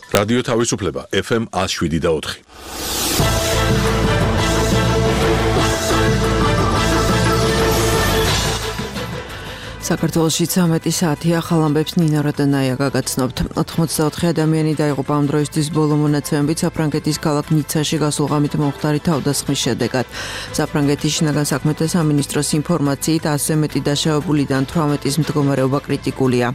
რადიო თავისუფლება FM 107.4. საქართველოში 13 საათია ხალ ამბებს ნინა რატანაია გაგაცნობთ. 84 ადამიანი დაიღუპა ამ დროისთვის ბოლო მონაცემებით საფრანგეთის ქალაქ ნიცაში გასულ ღამით მომხდარი თავდასხმის შედეგად. საფრანგეთის შინაგან საქმეთა სამინისტროს ინფორმაციით ასზე მეტი დაშავებულიდან 18-ის მდგომარეობა კრიტიკულია.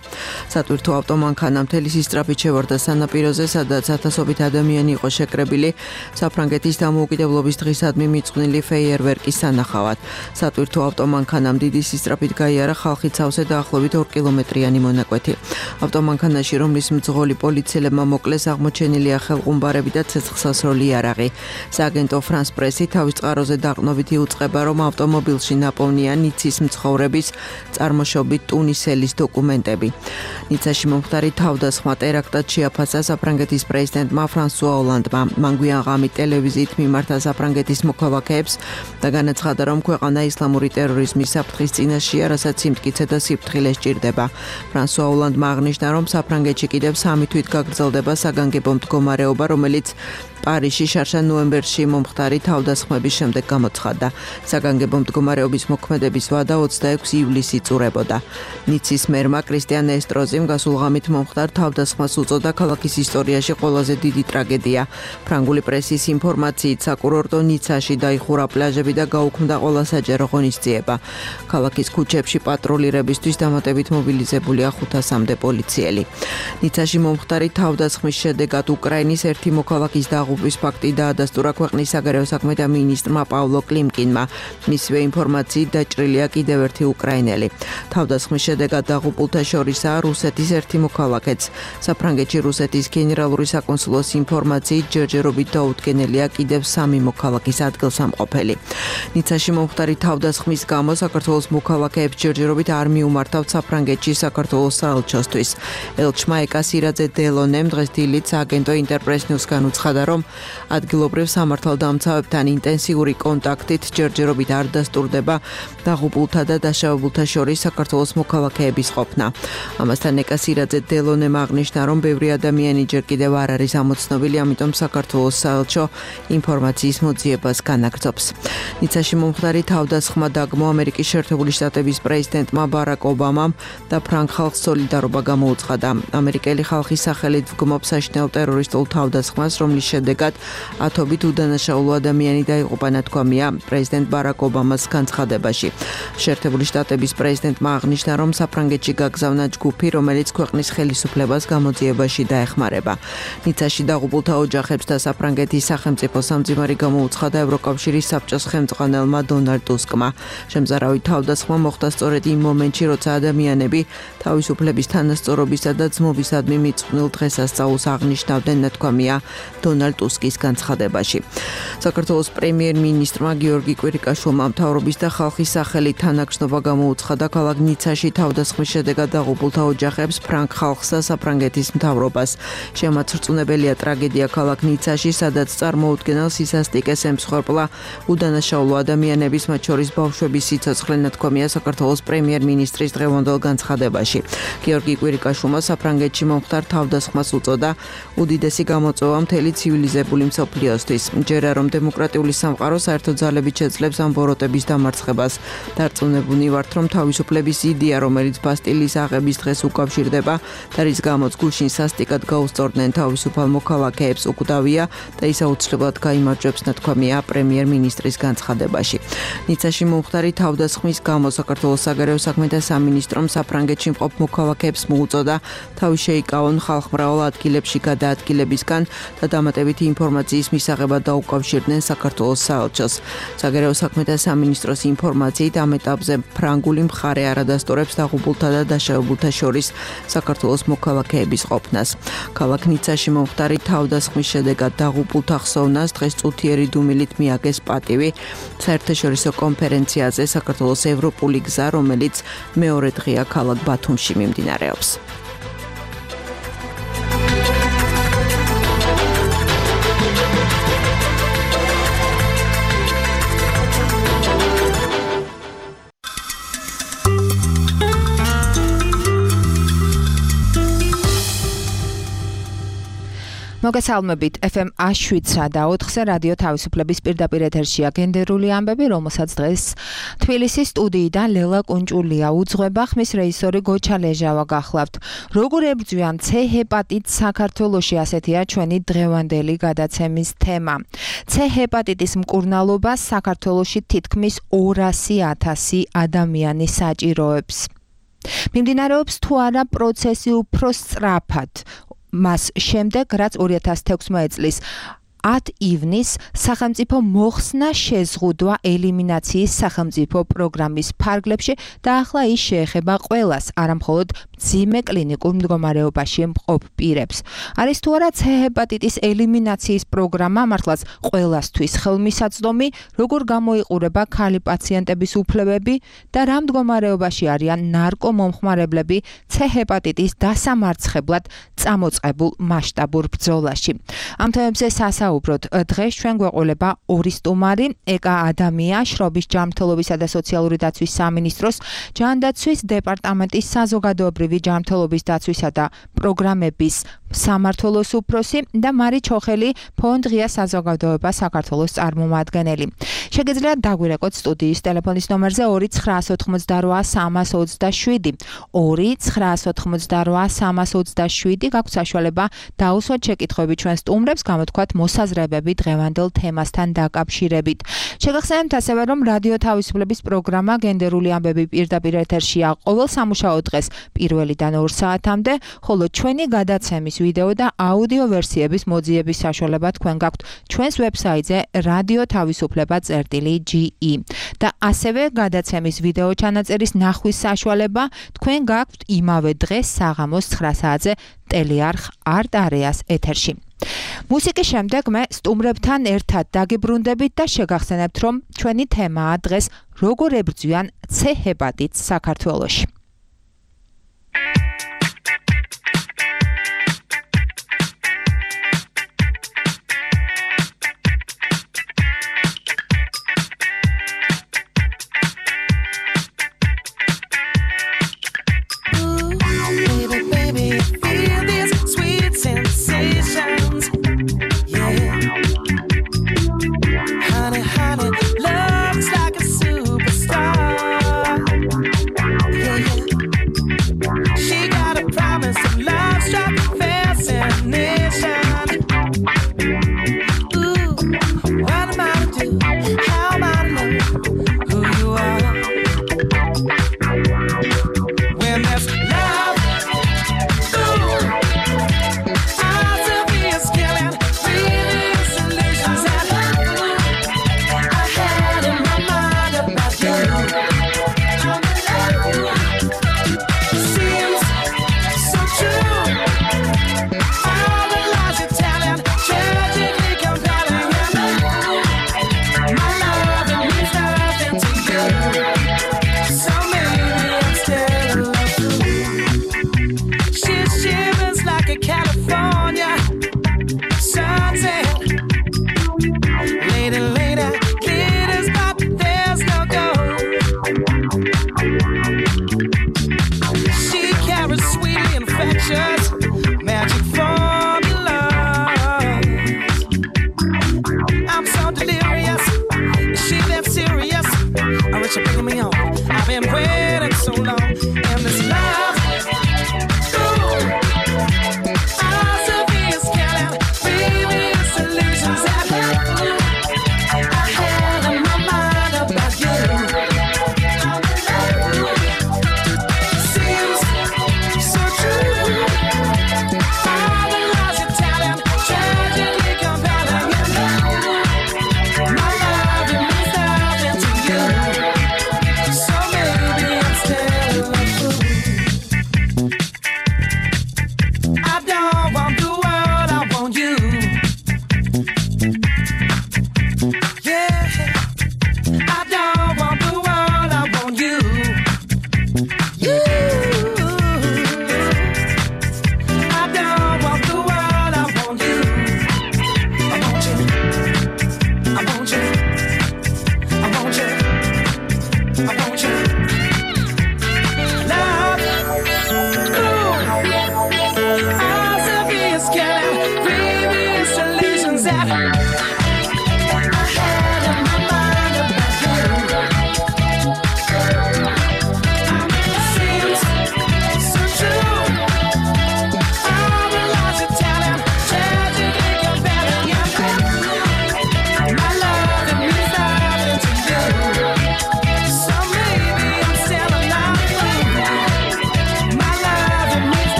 სატვირთო ავტომანქანა მთელი სისწრაფით შევარდა სანაპიროზე, სადაც ათასობით ადამიანი იყო შეკრებილი საფრანგეთის დამოუკიდებლობის დღისადმი მიწყვნილი ფეიერვერკის სანახავად. სატვირთო ავტომანქანამ დიდი სისწრაფით გაიარა ხალხი სავსე დაახლოებით 2 კილომეტრიანი მონაკვეთი. ავტომანქანაში, რომლის მძღოლი პოლიციელებმა მოკლეს, აღმოჩენილია ხელყუმბარები და ცეცხლსასროლი იარაღი. სააგენტო France Press-ი თავის წყაროზე დაყრდნობით იუწყება, რომ ავტომობილში ნაპოვნია ნიცის მცხოვრების წარმოშობით ტუნისელის დოკუმენტები. ნიცაში მომხდარი თავდასხმა ტერაქტად შეაფასა საფრანგეთის პრეზიდენტმა ფრანსუა ოლანდმა. მან გვიან ღამით ტელევიზიით მიმართა საფრანგეთის მოქალაქეებს და განაცხადა, რომ ქვეყანა ისლამური ტერორიზმის საფრთხის წინაშეა, რასაც სიმტკიცე და სიფრთხილე სჭირდება. ფრანსუა ოლანდმა აღნიშნა, რომ საფრანგეთში კიდევ 3 თვით გაგრძელდება საგანგებო მდგომარეობა, რომელიც პარიზში შარშან ნოემბერში მომხდარი თავდასხმების შემდეგ გამოცხადდა. საგანგებო მდგომარეობის მოქმედების ვადა 26 ივლისს იწურებოდა. ნიცის მერმა კრისტიან ესტროზიმ გასულ ღამით მომხდარ თავდასხმას უწოდა ქალაქის ისტორიაში ყველაზე დიდი ტრაგედია. ფრანგული პრესის ინფორმაციით, საკურორტო ნიცაში დაიხურა პლაჟები და გაუქმდა ყველა საჯარო ღონისძიება. ქალაქის ქუჩებში პატრულირებისთვის დამატებით მობილიზებულია 500-მდე პოლიციელი. ნიცაში მომხდარი თავდასხმის შედეგად უკრაინის ერთი მოქალაქის დაღუპვის ფაქტი დაადასტურა ქვეყნის საგარეო საქმეთა მინისტრმა პავლო კლიმკინმა. მისივე ინფორმაციით დაჭრილია კიდევ ერთი უკრაინელი. თავდასხმის შედეგად დაღუპულთა შორისაა რუსეთის ერთი მოქალაქეც. საფრანგეთში რუსეთის გენერალური საკონსულოს ინფორმაციით ჯერჯერობით დაუდგენელია კიდევ 3 მოქალაქის ადგილსამყოფელი. ნიცაში მომხდარი თავდასხმის გამო საქართველოს მოქალაქეებს ჯერჯერობით არ მიუმართავთ საფრანგეთში საქართველოს საელჩოსთვის. ელჩმა ეკასირაძე დელონემ დღეს დილით სააგენტო ინტერპრეს ნიუსგან უცხადა, რომ ადგილობრივ სამართალდამცავებთან ინტენსიური კონტაქტით ჯერჯერობით არ დასტურდება დაღუპულთა და დაშავებულთა შორის საქართველოს მოქალაქეების ყოფნა. ამასთან ეკასირაძე დელონემ აღნიშნა, რომ ბევრი ადამიანი ჯერ კიდევ არ არის ამოცნობილი, ამიტომ საქართველოს საელჩო ინფორმაციის მოძიებას განაგრძობს. ნიცაში მომხდარი თავდასხმა დაგმო ამერიკის შეერთებული შტატების პრეზიდენტმა ბარაკ ობამამ და ფრანგ ხალხს სოლიდარობა გამოუცხადა. ამერიკელი ხალხის სახელით ვგმობ საშინაო ტერორისტულ თავდასხმას, რომლის შედეგად ათობით უდანაშაულო ადამიანი დაიღუპა, ნათქვამია პრეზიდენტ ბარაკ ობამას განცხადებაში. შეერთებული შტატების პრეზიდენტმა აღნიშნა, რომ საფრანგეთში გაგზავნა ჯგუფი, რომელიც ქვეყნის ხელისუფლებას გამოძიებაში დაეხმარება. ნიცაში დაღუპულთა ოჯახებს და საფრანგეთის სახელმწიფო სამძიმარი გამოუცხადა ევროკავშირის საბჭოს ხელმძღვანელმა დონალდ ტუსკმა. შემზარავი თავდასხმა მოხდა სწორედ იმ მომენტში, როცა ადამიანები თავისუფლების თანასწორობისა და ძმობისადმი მიწყვნილ დღესასწაულს აღნიშნავდნენ, ნათქვამია დონალდ ტუსკის განცხადებაში. საქართველოს პრემიერ-მინისტრმა გიორგი კვირიკაშვილმა მთავრობის და ხალხის სახელით თანაგშნობა გამოუცხადა ქალაქ ნიცაში თავდასხმის შედეგად დაღუპულთა ოჯახებს, ფრანგ ხალხს და საფრანგეთის მთავრობას. შემაცრწუნებელია ტრაგედია ქალაქ ნიცაში, სადაც წარმოუდგენელ სისასტიკეს ემსხვერპლა უდანაშაულო ადამიანების, მათ შორის ბავშვების სიცოცხლე, ნათქვამია საქართველოს პრემიერ-მინისტრის დღევანდელ განცხადებაში. გიორგი კვირიკაშვილმა საფრანგეთში მომხდარ თავდასხმას უწოდა უდიდესი გამოწვევა მთელი ცივილიზებული მსოფლიოსთვის. ჯერა რომ დემოკრატიული სამყარო საერთო ძალებით შეძლებს ამ ბოროტების დამარცხებას. დარწმუნებული ვართ, რომ თავისუფლების იდეა, რომელიც ბასტილიის აღების დღეს უკავშირდება და რის გამოც გუშინ სასტიკად გაუსწორდნენ თავისუფალ მოქალაქეებს, უკვდავია და ის აუცილებლად გაიმარჯვებს, ნათქვამია პრემიერ-მინისტრის განცხადებაში. ნიცაში მომხდარი თავდასხმის გამო საქართველოს საგარეო საქმეთა სამინისტრომ საფრანგეთში მყოფ მოქალაქეებს მოუწოდა თავი შეიკავონ ხალხმრავალ ადგილებში გადაადგილებისგან და დამატებითი ინფორმაციის მისაღებად დაუკავშირდნენ საქართველოს საელჩოს. საგარეო საქმეთა სამინისტროს ინფორმაციით ამ ეტაპზე ფრანგული მხარე არ ადასტურებს დაღუპულთა და დაშავებულთა შორის საქართველოს მოქალაქეების ყოფნას. ქალაქ ნიცაში მომხდარი თავდასხმის შედეგად დაღუპულთა ხსოვნას დღეს წუთიერი დუმილით მიაგეს პატივი საერთაშორისო კონფერენციაზე საქართველოს ევროპული გზა, რომელიც მეორე დღეა ქალაქ ბათუმში მიმდინარეობს. მოგესალმებით FM 107 და 4-ზე რადიო თავისუფლების პირდაპირ ეთერშია გენდერული ამბები, რომელსაც დღეს თბილისის სტუდიიდან ლელა კუნჭულია უძღვება, ხმის რეჟისორი გოჩა ლეჟავა გახლავთ. როგორ ებრძვიან C ჰეპატიტს საქართველოში, ასეთია ჩვენი დღევანდელი გადაცემის თემა. C ჰეპატიტის მკურნალობას საქართველოში თითქმის 200,000 ადამიანი საჭიროებს. მიმდინარეობს თუ არა პროცესი უფრო სწრაფად. მას შემდეგ, რაც 2016 წლის 10 ივნისს სახელმწიფო მოხსნა შეზღუდვა ელიმინაციის სახელმწიფო პროგრამის ფარგლებში და ახლა ის შეეხება ყველას, არა მხოლოდ მძიმე კლინიკურ მდგომარეობაში მყოფ პირებს. არის თუ არა C ჰეპატიტის ელიმინაციის პროგრამა მართლაც ყველასთვის ხელმისაწვდომი, როგორ გამოიყურება ქალი პაციენტების უფლებები და რა მდგომარეობაში არიან ნარკომომხმარებლები C ჰეპატიტის დასამარცხებლად წამოწყებულ მასშტაბურ ბრძოლაში. ამ თემებზე უბრალოდ დღეს ჩვენ გვეყოლება ორი სტუმარი, ეკა ადამია, შრობის ჯანმრთელობისა და სოციალური დაცვის სამინისტროს ჯანდაცვის დეპარტამენტის საზოგადოებრივი ჯანმრთელობის დაცვისა და პროგრამების სამმართველოს უფროსი და მარი ჩოხელი, ფონდ ღია საზოგადოება საქართველოს წარმომადგენელი. შეგიძლიათ დაგვირეკოთ სტუდიის ტელეფონის ნომერზე 2988327 2988327 გაქვთ საშუალება დაუსვათ შეკითხვები ჩვენ სტუმრებს, გამოთქვათ მოსაზრებები დღევანდელ თემასთან დაკავშირებით. შეგახსენებთ ასევე, რომ რადიო თავისუფლების პროგრამა გენდერული ამბები პირდაპირ ეთერშია ყოველ სამუშაო დღეს 1-დან 2 საათამდე, ხოლო ჩვენი გადაცემის ვიდეო და აუდიო ვერსიების მოძიების საშუალება თქვენ გაქვთ ჩვენს ვებსაიტზე radio-tavisupleba.ge და ასევე გადაცემის ვიდეო ჩანაწერის ნახვის საშუალება თქვენ გაქვთ იმავე დღეს საღამოს 9 საათზე ტელეარხ არტ-არეას ეთერში. მუსიკის შემდეგ მე სტუმრებთან ერთად დაგიბრუნდებით და შეგახსენებთ, რომ ჩვენი თემაა დღეს როგორ ებრძვიან C ჰეპატიტს საქართველოში.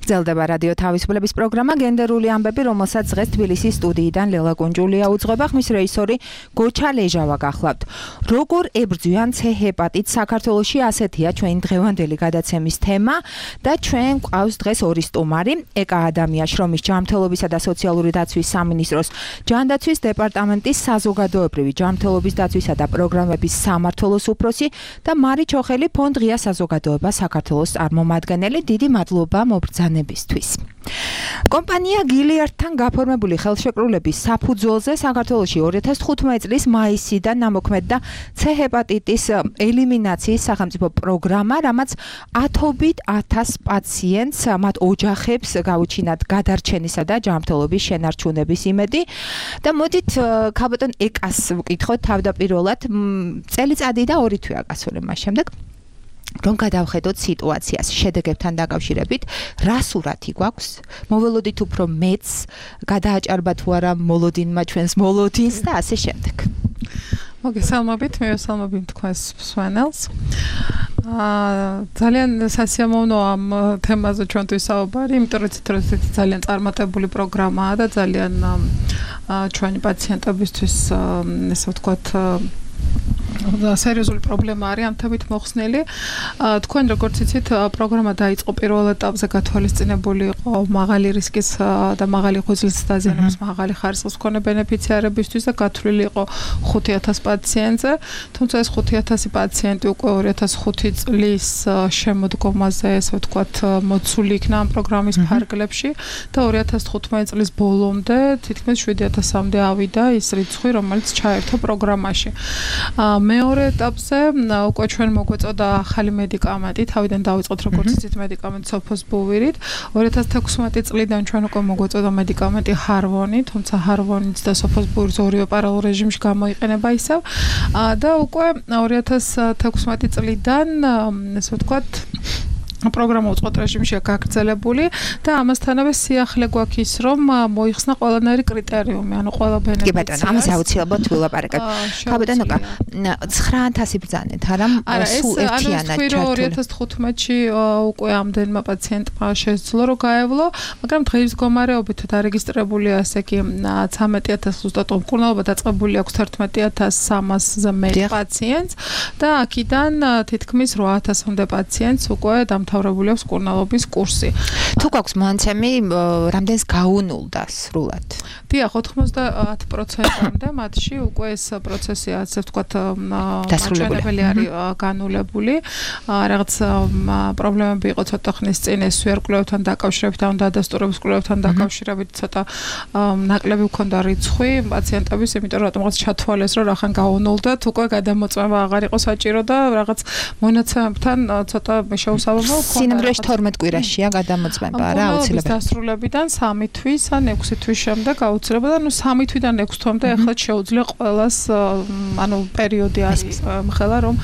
გრძელდება რადიო თავისუფლების პროგრამა გენდერული ამბები, რომელსაც დღეს თბილისის სტუდიიდან ლელა კუნჭულია უძღვება, ხმის რეჟისორი გოჩა ლეჟავა გახლავთ. როგორ ებრძვიან C ჰეპატიტს საქართველოში, ასეთია ჩვენი დღევანდელი გადაცემის თემა და ჩვენ გვყავს დღეს ორი სტუმარი, ეკა ადამია შრომის ჯანმრთელობისა და სოციალური დაცვის სამინისტროს ჯანდაცვის დეპარტამენტის საზოგადოებრივი ჯანმრთელობის დაცვისა და პროგრამების სამმართველოს უფროსი და მარი ჩოხელი ფონდ ღია საზოგადოება საქართველოს წარმომადგენელი. დიდი მადლობა მობრძანებისთვის. კომპანია გილიარდთან გაფორმებული ხელშეკრულების საფუძველზე საქართველოში 2015 წლის მაისიდან ნამოქმედდა C ჰეპატიტის ელიმინაციის სახელმწიფო პროგრამა, რამაც ათობით 1000 პაციენტს, მათ ოჯახებს გაუჩინათ გადარჩენისა და ჯანმრთელობის შენარჩუნების იმედი. და მოდით ქალბატონ ეკას ვკითხოთ თავდაპირველად, წელიწადი და 2 თვეა გასული მას შემდეგ. რომ გადავხედოთ სიტუაციას შედეგებთან დაკავშირებით, რა სურათი გვაქვს? მოველოდით უფრო მეც, გადააჭარბა თუ არა მოლოდინმა ჩვენს მოლოდინს და ასე შემდეგ. მოგესალმებით, მივესალმებით თქვენს მსმენელს. ძალიან სასიამოვნოა ამ თემაზე ჩვენთვის საუბარი, იმიტომ რომ ეს ძალიან წარმატებული პროგრამაა და ძალიან ჩვენი პაციენტებისთვის ესე ვთქვათ სერიოზული პრობლემა არის ამ თემით მოხსნილი. თქვენ როგორც იცით, პროგრამა დაიწყო პირველ ეტაპზე გათვალისწინებული იყო მაღალი რისკის და მაღალი ღვიძლის დაზიანების მაღალი ხარისხის მქონე ბენეფიციარებისთვის და გათვლილი იყო 5000 პაციენტზე. თუმცა ეს 5000 პაციენტი უკვე 2005 წლის შემოდგომაზე, ესე ვთქვათ, მოცული იქნა ამ პროგრამის ფარგლებში და 2015 წლის ბოლომდე თითქმის 7000-მდე ავიდა ის რიცხვი, რომელიც ჩაერთო პროგრამაში. მეორე ეტაპზე უკვე ჩვენ მოგვეწოდა ახალი მედიკამენტი, თავიდან დავიწყოთ როგორც იცით მედიკამენტი სოფოსბუვირით. 2016 წლიდან ჩვენ უკვე მოგვეწოდა მედიკამენტი ჰარვონი, თუმცა ჰარვონიც და სოფოსბუვირიც ორივე პარალელურ რეჟიმში გამოიყენება ისევ და უკვე 2016 წლიდან ესე ვთქვათ პროგრამა უწყოთ რეჟიმშია გაგრძელებული და ამასთანავე სიახლე გვაქვს ის, რომ მოიხსნა ყველანაირი კრიტერიუმი, ანუ ყველა ბენეფიციარს. კი ბატონო, ამაზე აუცილებლად ვილაპარაკებთ. ბატონო, 9000 ბრძანეთ, არა სულ ერთიანად ჩართული. 2015-ში უკვე ამდენმა პაციენტმა შესძლო რომ გაევლო, მაგრამ დღის მდგომარეობით დარეგისტრირებულია ასე კი 13000 ზუსტად მკურნალობა დაწყებული აქვს 11300-ზე მეტ პაციენტს და აქედან თითქმის 8000-მდე პაციენტს უკვე დამთავრებული აქვს მკურნალობის კურსი. თუ გვაქვს მონაცემი, რამდენს გაუნულდა სრულად? დიახ, 90%-მდე მათში უკვე ეს პროცესი ასე ვთქვათ დასრულებული არის განულებული. რაღაც პრობლემები იყო ცოტა ხნის წინ ეს ვერკვლევთან დაკავშირებით, ან დადასტურების კვლევებთან დაკავშირებით ცოტა ნაკლები მქონდა რიცხვი პაციენტების, იმიტომ რომ რატომღაც ჩათვალეს, რომ რახან გაუნულდათ, უკვე გადამოწმება აღარ იყო საჭირო და რაღაც მონაცემებთან ცოტა შეუსაბამო ქონდა. სინამდვილეში 12 კვირაშია გადამოწმება რა აუცილებლად. დასრულებიდან 3 თვის ან 6 თვის შემდეგ აუცილებლად, ანუ 3 თვიდან 6 თვამდე ახლა შეუძლია ყველას, ანუ პერიოდი არის ხელა რომ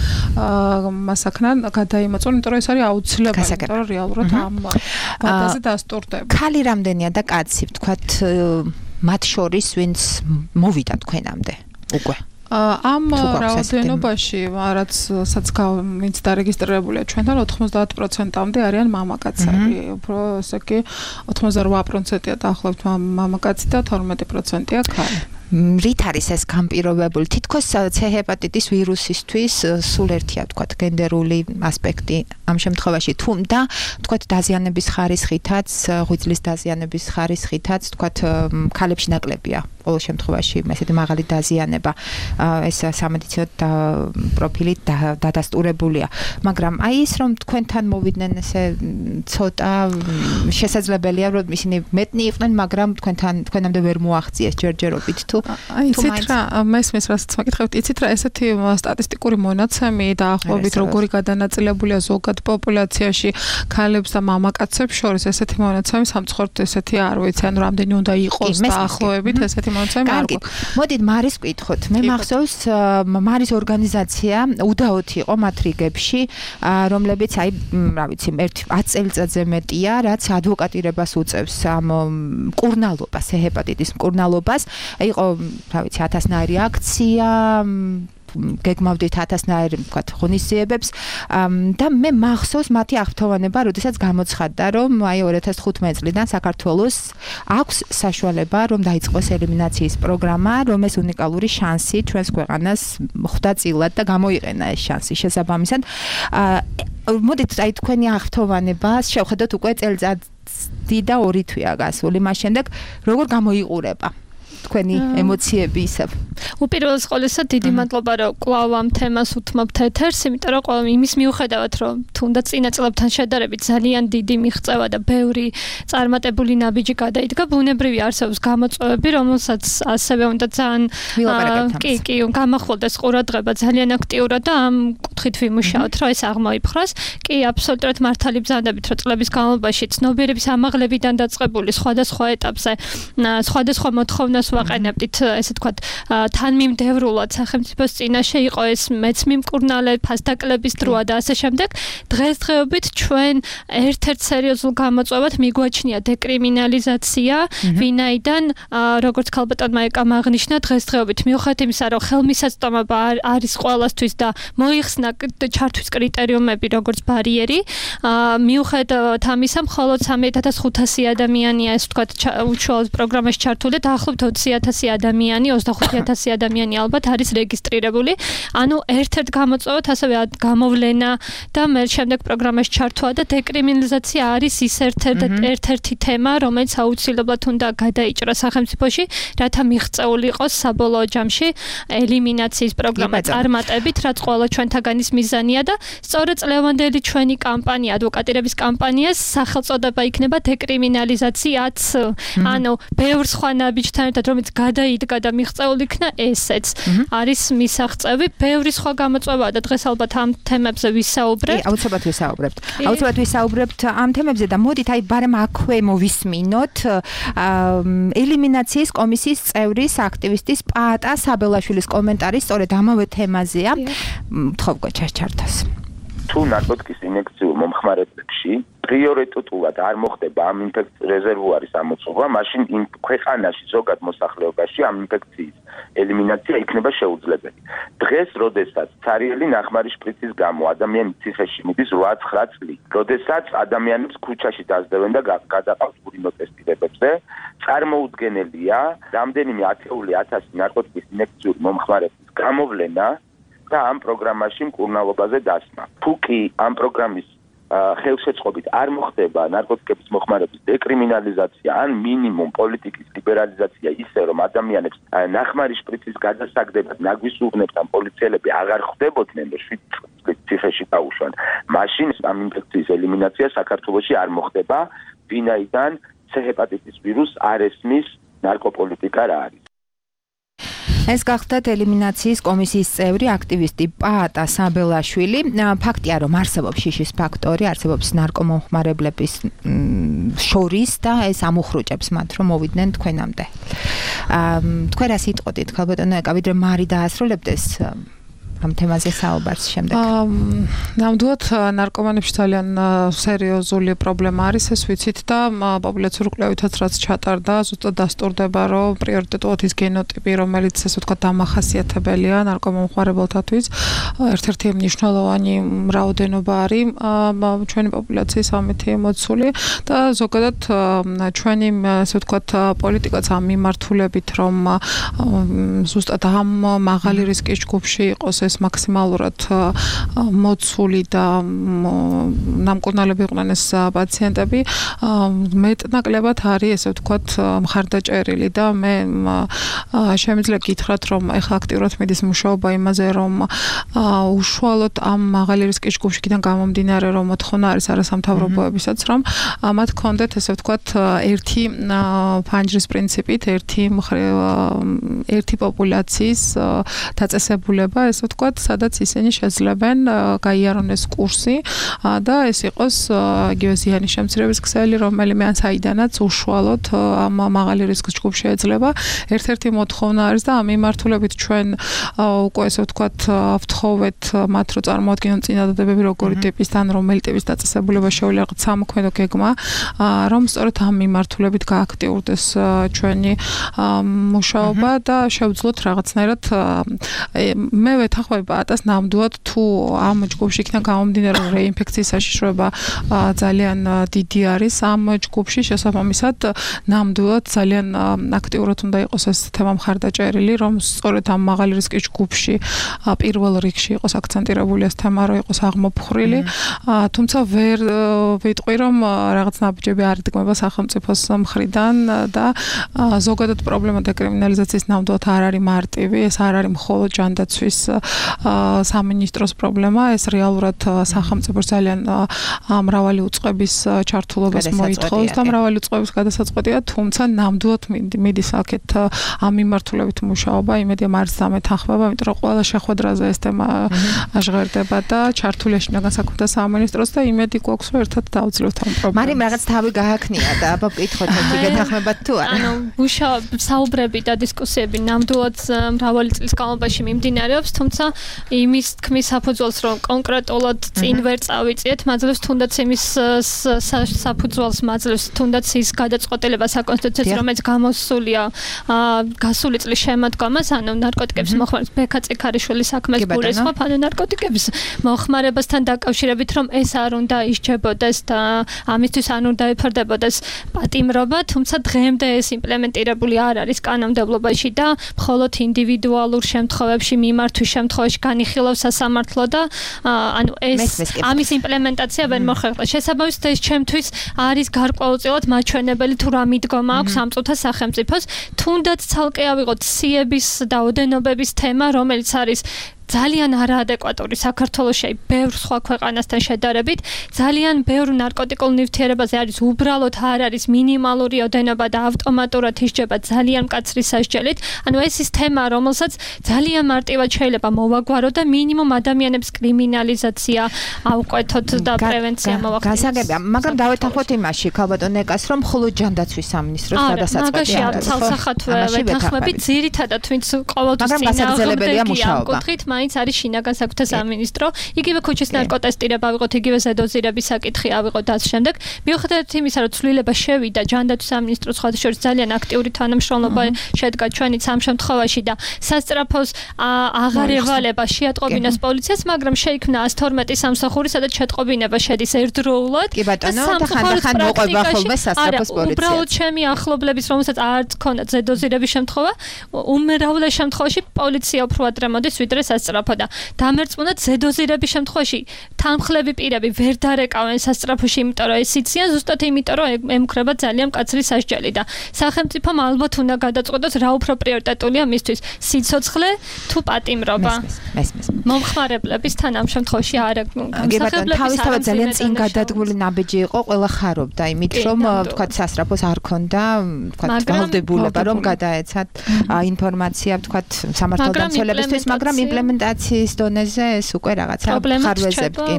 მასაკნან გადაიმოწმონ, იმიტომ რომ ეს არის აუცილებელი, იმიტომ რომ რეალურად ამ ვადაზე დასტურდება. ქალი რამდენია და კაცი, ვთქვათ, მათ შორის ვინც მოვიდა თქვენამდე უკვე? ამ რაოდენობაში, რაც ვინც დარეგისტრირებულია ჩვენთან 90%-მდე არიან მამაკაცები. უფრო ესე კი 88%-ია დაახლოებით მამაკაცი და 12%-ია ქალი. რით არის ეს განპირობებული? თითქოს C ჰეპატიტის ვირუსისთვის სულ ერთია, ვთქვათ, გენდერული ასპექტი ამ შემთხვევაში, თუმცა ვთქვათ, დაზიანების ხარისხითაც, ღვიძლის დაზიანების ხარისხითაც, ვთქვათ, ქალებში ნაკლებია. ყოველ შემთხვევაში ესეთი მაღალი დაზიანება ეს სამედიცინო პროფილი დადასტურებულია. მაგრამ აი ის რომ თქვენთან მოვიდნენ ესე ცოტა შესაძლებელია რომ ისინი მეტნი იყვნენ, მაგრამ თქვენამდე ვერ მოაღწიეს ჯერჯერობით თუ იცით რა, მესმის რასაც მაკითხებთ, იცით რა, ესეთი სტატისტიკური მონაცემი დაახლოებით როგორი გადანაწილებულია ზოგად პოპულაციაში ქალებს და მამაკაცებს შორის, ესეთი მონაცემი სამწუხაროდ ესეთი არ ვიცი, ანუ რამდენი უნდა იყოს დაახლოებით ესეთი მონაცემი არ გვაქვს. მოდით მარის ვკითხოთ. მე მახსოვს მარის ორგანიზაცია უდაოთი იყო მათ რიგებში, რომლებიც აი, რა ვიცი, 10 წელიწადზე მეტია, რაც ადვოკატირებას უწევს ამ მკურნალობას, ჰეპატიტის მკურნალობას. იყო, რა ვიცი, 1000-ნაირი აქცია, გეგმავდით 1000-ნაირ ვთქვათ ღონისძიებებს და მე მახსოვს მათი აღფრთოვანება, როდესაც გამოცხადდა, რომ აი 2015 წლიდან საქართველოს აქვს საშუალება, რომ დაიწყოს ელიმინაციის პროგრამა, რომ ეს უნიკალური შანსი ჩვენს ქვეყანას ხვდა წილად და გამოიყენა ეს შანსი შესაბამისად. მოდით აი თქვენი აღფრთოვანებას შევხედოთ უკვე წელიწადი და 2 თვეა გასული, მას შემდეგ როგორ გამოიყურება თქვენი ემოციები ისევ. უპირველეს ყოვლისა დიდი მადლობა რომ კვლავ ამ თემას უთმობთ ეთერს, იმიტომ რომ ყველა იმის მიუხედავად რომ თუნდაც წინა წლებთან შედარებით ძალიან დიდი მიღწევა და ბევრი წარმატებული ნაბიჯი გადაიდგა, ბუნებრივი არსებობს გამოწვევები, რომელსაც ასევე უნდა ძალიან კი გამახვილდეს ყურადღება ძალიან აქტიურად და ამ კუთხით ვიმუშაოთ, რომ ეს აღმოიფხვრას. კი, აბსოლუტურად მართალი ბრძანდებით, რომ წლების განმავლობაში ცნობიერების ამაღლებიდან დაწყებული სხვადასხვა ეტაპზე სხვადასხვა მოთხოვნას ვაყენებდით, ესე ვთქვათ, თანმიმდევრულად სახელმწიფოს წინაშე იყო ეს მეც მიმკურნალე ფასდაკლების დროა და ასე შემდეგ. დღესდღეობით ჩვენ ერთ-ერთ სერიოზულ გამოწვევად მიგვაჩნია დეკრიმინალიზაცია, ვინაიდან როგორც ქალბატონმა ეკამ აღნიშნა, დღესდღეობით მიუხედავად იმისა, რომ ხელმისაწვდომობა არის ყველასთვის და მოიხსნა ჩართვის კრიტერიუმები როგორც ბარიერი, მიუხედავად ამისა, მხოლოდ 3500 ადამიანია ეს ვთქვათ უშუალოდ პროგრამაში ჩართული და დაახლოებით 20,000 ადამიანი, 25,000 ადამიანი ალბათ არის რეგისტრირებული. ანუ ერთ-ერთ გამოწვევად ასევე გამოვლენა და მე შემდეგ პროგრამაში ჩართვა და დეკრიმინალიზაცია არის ის ერთ-ერთი თემა, რომელიც აუცილებლად უნდა გადაიჭრას სახელმწიფოში, რათა მიღწეული იყოს საბოლოო ჯამში ელიმინაციის პროგრამა წარმატებით, რაც ყველა ჩვენთაგანის მიზანია და სწორედ წლევანდელი ჩვენი კამპანია, ადვოკატირების კამპანიას სახელწოდება იქნება დეკრიმინალიზაციაც. ანუ ბევრ სხვა ნაბიჯთან ერთად რომელიც გადაიდგა და მიღწეული იქნა ესეც არის მისაღწევი, ბევრი სხვა გამოწვევაა და დღეს ალბათ ამ თემებზე ვისაუბრებთ. აუცილებლად ვისაუბრებთ ამ თემებზე და მოდით აი ბარემ აქვე მოვისმინოთ ელიმინაციის კომისიის წევრის აქტივისტის პაატა საბელაშვილის კომენტარი სწორედ ამავე თემაზეა. მთხოვ გოჩარჩართას. თუ ნარკოტიკის ინექციურ მომხმარებლებში პრიორიტეტულად არ მოხდება ამ ინფექციის რეზერვუარის ამოწურვა, მაშინ იმ ქვეყანაში ზოგად მოსახლეობაში ამ ინფექციის ელიმინაცია იქნება შეუძლებელი. დღეს, როდესაც ცარიელი ნახმარი შპრიცის გამო ადამიანის ციხეში მიდის 8-9 წლით, როდესაც ადამიანებს ქუჩაში დაძდევენ და გადაყავს ურინო ტესტირებებზე, წარმოუდგენელია რამდენიმე ათეული ათასი ნარკოტიკის ინექციური მომხმარებლის გამოვლენა და ამ პროგრამაში მკურნალობაზე დასმა. თუ კი ამ პროგრამის ხელშეწყობით არ მოხდება ნარკოტიკების მოხმარების დეკრიმინალიზაცია ან მინიმუმ პოლიტიკის ლიბერალიზაცია ისე რომ ადამიანებს ნახმარი შპრიცის გადასაგდებად ნაგვისუღნებთან პოლიციელები აღარ ხვდებოდნენ და 7 წლის ციხეში დაუშვან, მაშინ ამ ინფექციის ელიმინაცია საქართველოში არ მოხდება, ვინაიდან C-ჰეპატიტის ვირუსს არ ესმის ნარკოპოლიტიკა რა არის. ეს გახდათ ელიმინაციის კომისიის წევრი აქტივისტი პაატა საბელაშვილი. ფაქტია, რომ არსებობს შიშის ფაქტორი, არსებობს ნარკომომხმარებლების შორის და ეს ამუხრუჭებს მათ, რომ მოვიდნენ თქვენამდე. თქვენ რა სიტყვით, ქალბატონო ეკა, ვიდრე მარი დაასრულებდეს ამ თემაზე საუბარს შემდეგ. ნამდვილად ნარკომანებში ძალიან სერიოზული პრობლემა არის, ეს ვიცით და პოპულაციურ კვლევითაც რაც ჩატარდა, ზუსტად დასტურდება, რომ პრიორიტეტულად ის გენოტიპი, რომელიც ესე ვთქვათ დამახასიათებელია ნარკომომხმარებელთათვის, ერთ-ერთი მნიშვნელოვანი რაოდენობა არის ჩვენი პოპულაციის ამითი მოცული და ზოგადად ჩვენი ესე ვთქვათ პოლიტიკაც ამ მიმართულებით, რომ ზუსტად ამ მაღალი რისკის ჯგუფში იყოს ეს მაქსიმალურად მოცული და ნამკურნალები იყვნენ ეს პაციენტები, მეტნაკლებად არის ესე ვთქვათ მხარდაჭერილი და მე შემიძლია გითხრათ, რომ ეხლა აქტიურად მიდის მუშაობა იმაზე, რომ უშუალოდ ამ მაღალი რისკის ჯგუფშიდან გამომდინარე, რომ მოთხოვნა არის არასამთავრობოებისაც, რომ მათ ჰქონდეთ ესე ვთქვათ ერთი ფანჯრის პრინციპით, ერთი პოპულაციის დაწესებულება, ესე ვთქვათ თქვათ, სადაც ისინი შეძლებენ გაიარონ ეს კურსი და ეს იყოს იგივე ზიანის შემცირების ქსელი, რომელიმე ან საიდანაც უშუალოდ ამ მაღალი რისკის ჯგუფში ეძლება. ერთ-ერთი მოთხოვნა არის და ამ მიმართულებით ჩვენ უკვე ესე ვთქვათ ვთხოვეთ მათ რომ წარმოადგინონ წინადადებები როგორი ტიპის ან რომელი ტიპის დაწესებულება შეუძლია რაღაც სამოქმედო გეგმა, რომ სწორედ ამ მიმართულებით გააქტიურდეს ჩვენი მუშაობა და შევძლოთ რაღაცნაირად მე ვეთანხმები პატას ნამდვილად თუ ამ ჯგუფში იქნა გამომდინარე რეინფექციის საშიშროება ძალიან დიდი არის ამ ჯგუფში შესაბამისად ნამდვილად ძალიან აქტიურად უნდა იყოს ეს თემა მხარდაჭერილი რომ სწორედ ამ მაღალი რისკის ჯგუფში პირველ რიგში იყოს აქცენტირებული ეს თემა რომ იყოს აღმოფხრილი თუმცა ვერ ვიტყვი რომ რაღაც ნაბიჯები არ იდგმება სახელმწიფოს მხრიდან და ზოგადად პრობლემა დეკრიმინალიზაციის ნამდვილად არ არის მარტივი ეს არ არის მხოლოდ ჯანდაცვის სამინისტროს პრობლემა ეს რეალურად სახელმწიფოს ძალიან მრავალი უწყების ჩართულობას მოითხოვს და მრავალი უწყების გადასაწყვეტია თუმცა ნამდვილად მიდის აქეთ ამ მიმართულებით მუშაობა იმედია მარს დამეთანხმება იმიტომ რომ ყველა შეხვედრაზე ეს თემა ჟღერდება და ჩართულია შინაგან საქმეთა სამინისტროს და იმედი გვაქვს რომ ერთად დავძლევთ ამ პრობლემას. მარიმ რაღაც თავი გააქნია და აბა ვკითხოთ ერთი გეთანხმებათ თუ არა. ანუ საუბრები და დისკუსიები ნამდვილად მრავალი წლის განმავლობაში მიმდინარეობს, თუმცა იმის თქმის საფუძველს რომ კონკრეტულად წინ ვერ წავიწიეთ, მაძლევს თუნდაც იმის საფუძველს მაძლევს თუნდაც ის გადაწყვეტილება საკონსტიტუციო რომელიც გამოსულია გასული წლის შემოდგომას, ანუ ნარკოტიკების მოხმარების ბექა წიქარიშვილის საქმეს გულისხმობ, ანუ ნარკოტიკების მოხმარებასთან დაკავშირებით რომ ეს არ უნდა ისჯებოდეს და ამისთვის არ უნდა ეფარდებოდეს პატიმრობა, თუმცა დღემდე ეს იმპლემენტირებული არ არის კანონმდებლობაში და მხოლოდ ინდივიდუალურ შემთხვევებში მიმართვის შემთხვევაში განიხილავს სასამართლო და ანუ ეს ამის იმპლემენტაცია ვერ მოხერხდა. შესაბამისად ეს ჩემთვის არის გარკვეულწილად მაჩვენებელი თუ რა მიდგომა აქვს ამ წუთას სახელმწიფოს, თუნდაც ცალკე ავიღოთ სიების და ოდენობების თემა, რომელიც არის ძალიან არაადეკვატური საქართველოში ბევრ სხვა ქვეყანასთან შედარებით, ძალიან ბევრ ნარკოტიკულ ნივთიერებაზე არის უბრალოდ არ არის მინიმალური ოდენობა და ავტომატურად ისჯება ძალიან მკაცრი სასჯელით. ანუ ეს ის თემა, რომელსაც ძალიან მარტივად შეიძლება მოვაგვარო და მინიმუმ ადამიანების კრიმინალიზაცია ავკვეთოთ და პრევენცია მოვახდინოთ. გასაგებია, მაგრამ დავეთანხმოთ იმაში, ქალბატონ ნეკას, რომ მხოლოდ ჯანდაცვის სამინისტროს გადასაწყვეტი არ არის. ცალსახათვე ვეთანხმებით, ძირითადად ვინც ყოველთვის წინააღმდეგია მუშაობა. მაინც არის შინაგან საქმეთა სამინისტრო, იგივე ქუჩის ნარკოტესტირება ავიღოთ, იგივე ზედოზირების საკითხი ავიღოთ და ამ შემდეგ. მიუხედავად იმისა, რომ ცვლილება შევიდა ჯანდაცვის სამინისტროს ხალხშორის ძალიან აქტიური თანამშრომლობა შედგა ჩვენიც ამ შემთხვევაში და სასწრაფოს აღარ ევალება შეატყობინოს პოლიციას, მაგრამ შეიქმნა 112 სამსახური, სადაც შეტყობინება შედის ერთდროულად. კი ბატონო, და ხანდახან მოყვება ხოლმე სასწრაფოს პოლიციას. უბრალოდ ჩემი ახლობლების, რომელსაც არც ქონდათ ზედოზირების შემთხვევა, უმრავლეს შემთხვევაში პოლიცია უფრო ადრე მოდის, ვიდრე სასწრაფო და დამერწმუნდათ ზედოზირების შემთხვევაში თანმხლები პირები ვერ დარეკავენ სასწრაფოში, იმიტომ რომ ეს იციან ზუსტად იმიტომ რომ ემუქრება ძალიან მკაცრი სასჯელი და სახელმწიფომ ალბათ უნდა გადაწყვეტოს რა უფრო პრიორიტეტულია მისთვის, სიცოცხლე თუ პატიმრობა. მომხმარებლების თან ამ შემთხვევაში არა გამსახებლების თავისთავად ძალიან წინ გადადგმული ნაბიჯი იყო, ყველა ხარობდა იმით რომ ვთქვათ სასწრაფოს არ ქონდა ვთქვათ ვალდებულება რომ გადაეცათ ინფორმაცია ვთქვათ სამართალდამცველებისთვის, მაგრამ იმპლემენტაციის დონეზე ეს უკვე რაღაცა ხარვეზებკი.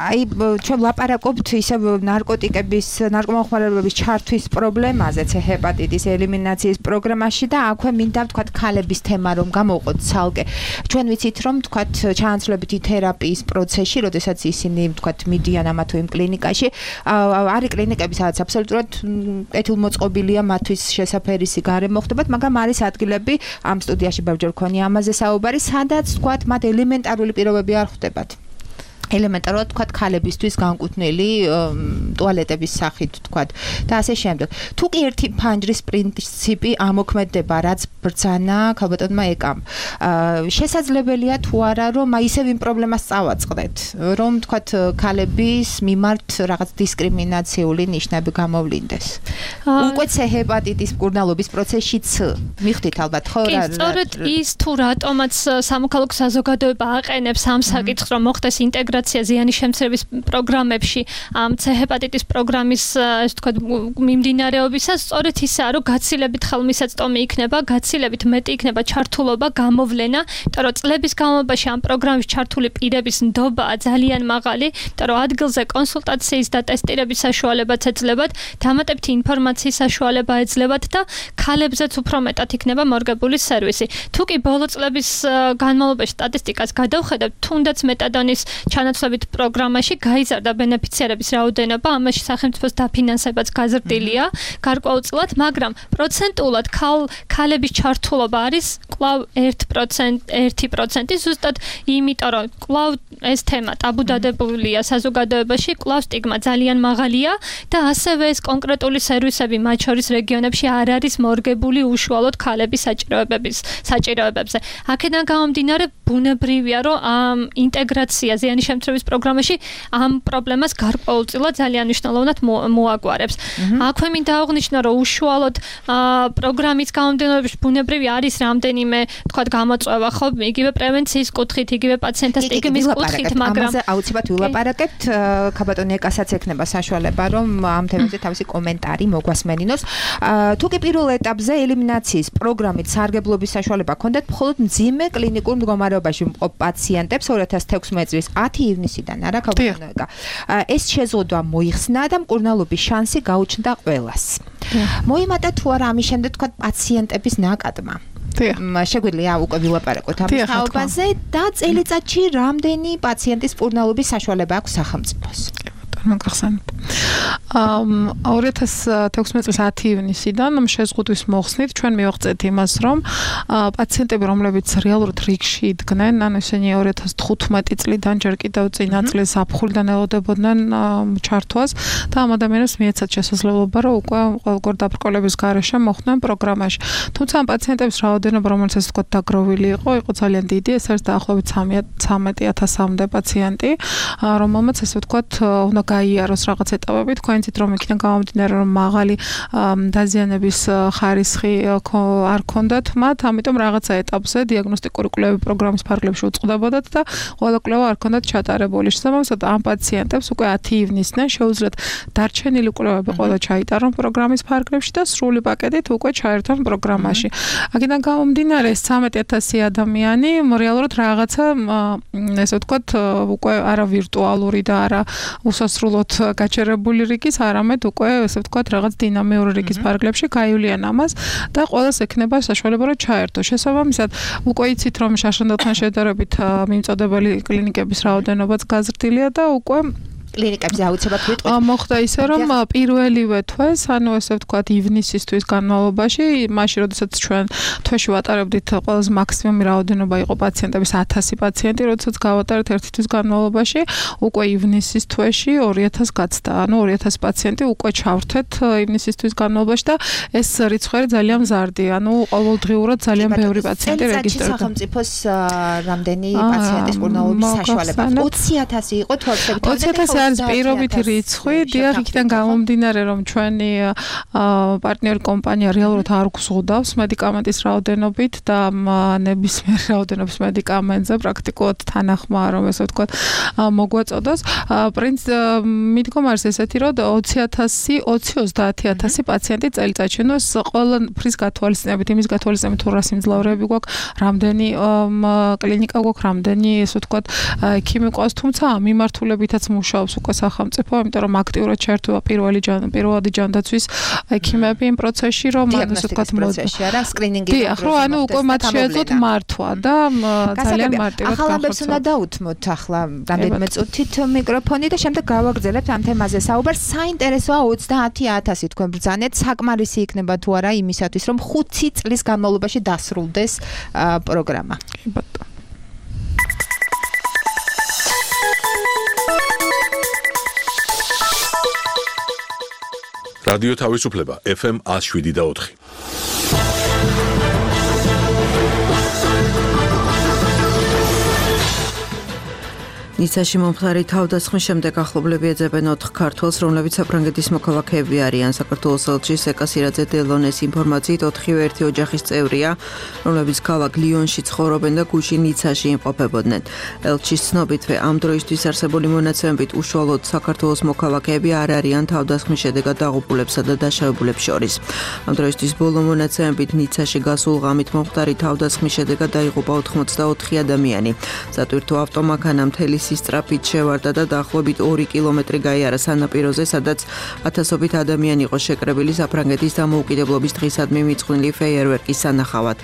აი ჩვენ ლაპარაკობთ ისე ნარკოტიკების, ნარკომოხმარებების ჩართვის პრობლემაზე, ჰეპატიტის ელიმინაციის პროგრამაში და აქვე მინდა ვთქვათ ქალების თემა რომ გამოვყოთ ცალკე. ჩვენ ვიცით რომ ვთქვათ ჩანაცვლებითი თერაპიის პროცესში, როდესაც ისინი ვთქვათ მიდიან ამა თუ იმ კლინიკაში, არის კლინიკები, სადაც აბსოლუტურად კეთილმოწყობილია მათთვის შესაფერისი გარემო ხდებათ, მაგრამ არის ადგილები ამ სტუდიაში ბევრჯერ ქონია ამაზე საუბარი, სადაც თქვათ მათ ელემენტარული პირობები არ ხვდებათ. ელემენტარულად თქვათ ქალებისთვის განკუთვნილი ტუალეტების სახით თქვათ და ასე შემდეგ. თუ კი ერთი ფანჯრის პრინციპი ამოქმედება, რაც ბრძანა ქალბატონმა ეკამ, შესაძლებელია თუ არა რომ აი ისევ იმ პრობლემას წავაწყდეთ, რომ თქვათ ქალების მიმართ რაღაც დისკრიმინაციული ნიშნები გამოვლინდეს. უკვე ჰეპატიტის მკურნალობის პროცესშიც მიხვდით ალბათ ხო რა? სწორედ ის თუ რატომაც სამოქალაქო საზოგადოება აყენებს ამ საკითხს, რომ მოხდეს ინტეგრაცია ინტეგრაცია ზიანის შემცირების პროგრამებში ამ C ჰეპატიტის პროგრამის ესე ვთქვათ მიმდინარეობისას სწორედ ისაა, რომ გაცილებით ხელმისაწვდომი იქნება, გაცილებით მეტი იქნება ჩართულობა, გამოვლენა, იმიტომ რომ წლების განმავლობაში ამ პროგრამის ჩართული პირების ნდობაა ძალიან მაღალი, იმიტომ რომ ადგილზე კონსულტაციის და ტესტირების საშუალებაც ეძლებათ, დამატებითი ინფორმაციის საშუალება ეძლებათ და ქალებზეც უფრო მეტად იქნება მორგებული სერვისი. თუ კი ბოლო წლების განმავლობაში სტატისტიკას გადავხედავთ, თუნდაც მეტადონის ჩანაცვლებით პროგრამაში გაიზარდა ბენეფიციარების რაოდენობა, ამაში სახელმწიფოს დაფინანსებაც გაზრდილია გარკვეულწილად, მაგრამ პროცენტულად ქალების ჩართულობა არის კვლავ 1%, ზუსტად იმიტომ, რომ კვლავ ეს თემა ტაბუდადებულია საზოგადოებაში, კვლავ სტიგმა ძალიან მაღალია და ასევე ეს კონკრეტული სერვისები მათ შორის რეგიონებში არ არის მორგებული უშუალოდ ქალების საჭიროებებზე. აქედან გამომდინარე, ბუნებრივია, რომ ამ ინტეგრაცია ზიანის შემცირების პროგრამაში ამ პრობლემას გარკვეულწილად ძალიან მნიშვნელოვნად მოაგვარებს. აქვე მინდა აღნიშნო, რომ უშუალოდ პროგრამის გამომდინარეობაში ბუნებრივი არის რამდენიმე, თქვათ, გამოწვევა, ხო, იგივე პრევენციის კუთხით, იგივე პაციენტთა სტიგმის კუთხით, მაგრამ ამაზე აუცილებლად ვილაპარაკებთ, ქაბატონი ეკასაც ექნება საშუალება, რომ ამ თემაზე თავისი კომენტარი მოგვასმენინოს. თუ კი პირველ ეტაპზე ელიმინაციის პროგრამით სარგებლობის საშუალება ჰქონდათ მხოლოდ მძიმე კლინიკურ მდგომარეობაში მყოფ პაციენტებს 2016 წლის 10 ივნისიდან, არა ქაბატონო ეკა. ეს შეზღუდვა მოიხსნა და მკურნალობის შანსი გაუჩნდა ყველას. მოიმატა თუ არა ამის შემდეგ თქვა პაციენტების ნაკადმა. შეგვიძლია უკვე ვილაპარაკოთ ამ თაობაზე და წელიწადში რამდენი პაციენტის მკურნალობის საშუალება აქვს სახელმწიფოს? მოგახსენებთ. 2016 წლის 10 ივნისიდან შეზღუდვის მოხსნით ჩვენ მივაღწევთ იმას, რომ პაციენტები, რომლებიც რეალურად რიგში იდგნენ, ანუ ისინი 2015 წლიდან ჯერ კიდევ წინა წლის ზაფხულიდან ელოდებოდნენ ჩართვას და ამ ადამიანებს მიეცათ შესაძლებლობა, რომ უკვე ყოველგვარ დაბრკოლების გარეშე მოხვდნენ პროგრამაში. თუმცა ამ პაციენტების რაოდენობა, რომელიც ასე ვთქვათ დაგროვილი იყო ძალიან დიდი, ეს არის დაახლოებით 13,000-მდე პაციენტი, რომელმაც ასე ვთქვათ უნდა გაიაროს რაღაც ეტაპები, თქვენ იცით რომ იქიდან გამომდინარე რომ მაღალი დაზიანების ხარისხი არ ქონდათ მათ, ამიტომ რაღაცა ეტაპზე დიაგნოსტიკური კვლევები პროგრამის ფარგლებში უწყდებოდათ და ყველა კვლევა არ ქონდათ ჩატარებული. შესაბამისად ამ პაციენტებს უკვე 10 ივნისიდან შეუძლიათ დარჩენილი კვლევები ყველა ჩაიტარონ პროგრამის ფარგლებში და სრული პაკეტით უკვე ჩაერთონ პროგრამაში. აქედან გამომდინარე 13,000 ადამიანი რეალურად რაღაცა ესე ვთქვათ უკვე არა ვირტუალური და არა უსასრულოდ გაჩერებული რიგის, არამედ უკვე ესე ვთქვათ რაღაც დინამიური რიგის ფარგლებში გაივლიან ამას და ყველას ექნება საშუალება რომ ჩაერთო. შესაბამისად, უკვე იცით რომ შაშანდელთან შედარებით მიმწოდებელი კლინიკების რაოდენობაც გაზრდილია და უკვე კლინიკებზე აუცილებლად ვიტყვით. მოხდა ისე რომ პირველივე თვეს, ანუ ესე ვთქვათ ივნისისთვის განმავლობაში, მაშინ როდესაც ჩვენ თვეში ვატარებდით ყველაზე მაქსიმუმი რაოდენობა იყო პაციენტების 1000 პაციენტი, როდესაც გავატარეთ ერთი თვის განმავლობაში, უკვე ივნისის თვეში 2000 გაცდა. ანუ 2000 პაციენტი უკვე ჩავრთეთ ივნისის თვის განმავლობაში და ეს რიცხვი ძალიან მზარდი. ანუ ყოველდღიურად ძალიან ბევრი პაციენტი რეგისტრირდა. სახელმწიფოს რამდენი პაციენტის მკურნალობის საშუალება? 20,000 იყო თუ 20,000 არის პირობითი რიცხვი, დიახ, იქიდან გამომდინარე, რომ ჩვენი პარტნიორი კომპანია რეალურად არ გვზღუდავს მედიკამენტის რაოდენობით და ნებისმიერ რაოდენობის მედიკამენტზე პრაქტიკულად თანახმაა, რომ ესე ვთქვათ, მოგვაწოდოს. მიდგომა არის ესეთი, რომ 20,000-30,000 პაციენტი წელიწადში. ნუ ეს ყველაფრის გათვალისწინებით, იმის გათვალისწინებით, თუ რა სიმძლავრეები გვაქვს, რამდენი კლინიკა გვაქვს, რამდენი ესე ვთქვათ, ექიმი ყავს, თუმცა ამ მიმართულებითაც მუშაობს უკვე სახელმწიფო, იმიტომ რომ აქტიურად ჩართულა პირველადი ჯანდაცვის ექიმები იმ პროცესში, რომ ასე ვთქვათ, პროცესში არა, სკრინინგი. დიახ, რომ ანუ უკვე მათ შეეძლოთ მართვა და ძალიან მარტივად ახალ ამბებს უნდა დაუთმოთ ახლა რამდენიმე წუთით მიკროფონი და შემდეგ გავაგრძელებთ ამ თემაზე საუბარს. საინტერესოა 30,000 თქვენ ბრძანეთ, საკმარისი იქნება თუ არა იმისათვის, რომ 5 წლის განმავლობაში დასრულდეს პროგრამა. კი ბატონო. რადიო თავისუფლება FM 107.4. ნიცაში მომხდარი თავდასხმის შემდეგ ახლობლები ეძებენ 4 ქართველს, რომლებიც საფრანგეთის მოქალაქეები არიან. საქართველოს ელჩის ეკასირაძე დელონეს ინფორმაციით 4-ვე ერთი ოჯახის წევრია, რომლებიც ქალაქ ლიონში ცხოვრობენ და გუშინ ნიცაში იმყოფებოდნენ. ელჩის ცნობითვე ამ დროისთვის არსებული მონაცემებით უშუალოდ საქართველოს მოქალაქეები არ არიან თავდასხმის შედეგად დაღუპულებსა და დაშავებულებს შორის. ამ დროისთვის ბოლო მონაცემებით ნიცაში გასულ ღამით მომხდარი თავდასხმის შედეგად დაიღუპა 84 ადამიანი. სატვირთო ავტომანქანა მთელი სისწრაფით შევარდა და დაახლოებით 2 კილომეტრი გაიარა სანაპიროზე, სადაც ათასობით ადამიანი იყო შეკრებილი საფრანგეთის დამოუკიდებლობის დღისადმი მიწყვნილი ფეიერვერკის სანახავად.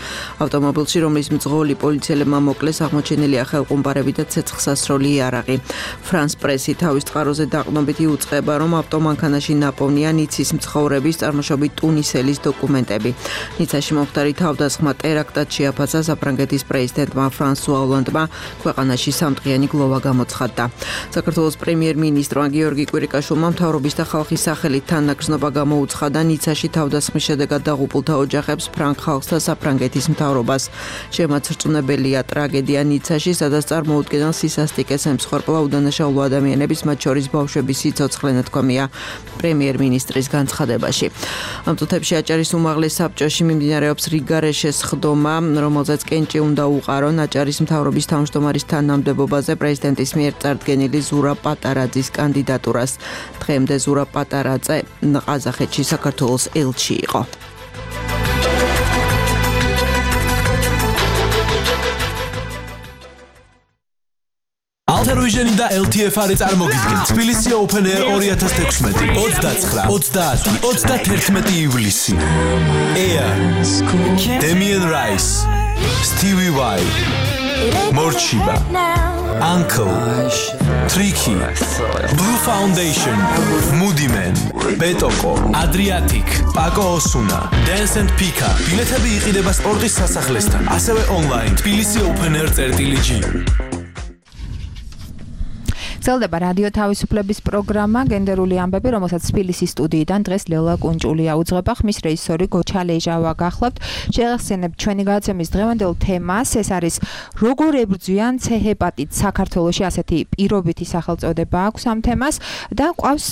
ავტომობილში, რომლის მძღოლი პოლიციელებმა მოკლეს, აღმოჩენილია ხელყუმბარები და ცეცხლსასროლი იარაღი. France Press-ი თავის წყაროზე დაყრდნობით იუწყება, რომ ავტომანქანაში ნაპოვნია ნიცის მცხოვრების წარმოშობით ტუნისელის დოკუმენტები. ნიცაში მომხდარი თავდასხმა ტერაქტად შეაფასა საფრანგეთის პრეზიდენტმა ფრანსუა ოლანდმა, ქვეყანაში სამდღიანი გლოვა გამოცხადდა. საქართველოს პრემიერ-მინისტრმა გიორგი კვირიკაშვილმა მთავრობის და ხალხის სახელით თანაგრძნობა გამოუცხადა ნიცაში თავდასხმის შედეგად დაღუპულთა ოჯახებს, ფრანგ ხალხს და საფრანგეთის მთავრობას. შემაცრწუნებელია ტრაგედია ნიცაში, სადაც წარმოუდგენელ სისასტიკეს ემსხვერპლა უდანაშაულო ადამიანების, მათ შორის ბავშვების სიცოცხლე, ნათქვამია პრემიერ-მინისტრის განცხადებაში. ამ წუთებში აჭარის უმაღლეს საბჭოში მიმდინარეობს რიგარეშეს ხდომა, რომელზეც კენჭი უნდა უყარონ აჭარის მთავრობის თავმჯდომარის თანამდებობაზე პრეზიდენტის მიერ წარდგენილი ზურაბ პატარაძის კანდიდატურას. დღემდე ზურაბ პატარაძე ყაზახეთში საქართველოს ელჩი იყო. Alter-Vision და LTF-ი წარმოგიდგენ თბილისი Open Air 2016 29, 30, 31 ივლისი. Air, Damien Rice, Stevie Y, Morchiba, Uncle, Tricky, Blue Foundation, Moody Man, Betoko, Adriatic, Paco Osuna, Dance and Pika. ბილეთები იყიდება სპორტის სასახლესთან, ასევე online თბილისი Open Air.g. გრძელდება რადიო თავისუფლების პროგრამა გენდერული ამბები, რომელსაც თბილისის სტუდიიდან დღეს ლელა კუნჭულია უძღვება. ხმის რეჟისორი გოჩა ლეჟავა გახლავთ. შევახსენებთ ჩვენი გადაცემის დღევანდელ თემას. ეს არის როგორ ებრძვიან C-ჰეპატიტს საქართველოში, ასეთი პირობითი სახელწოდება აქვს ამ თემას და ყავს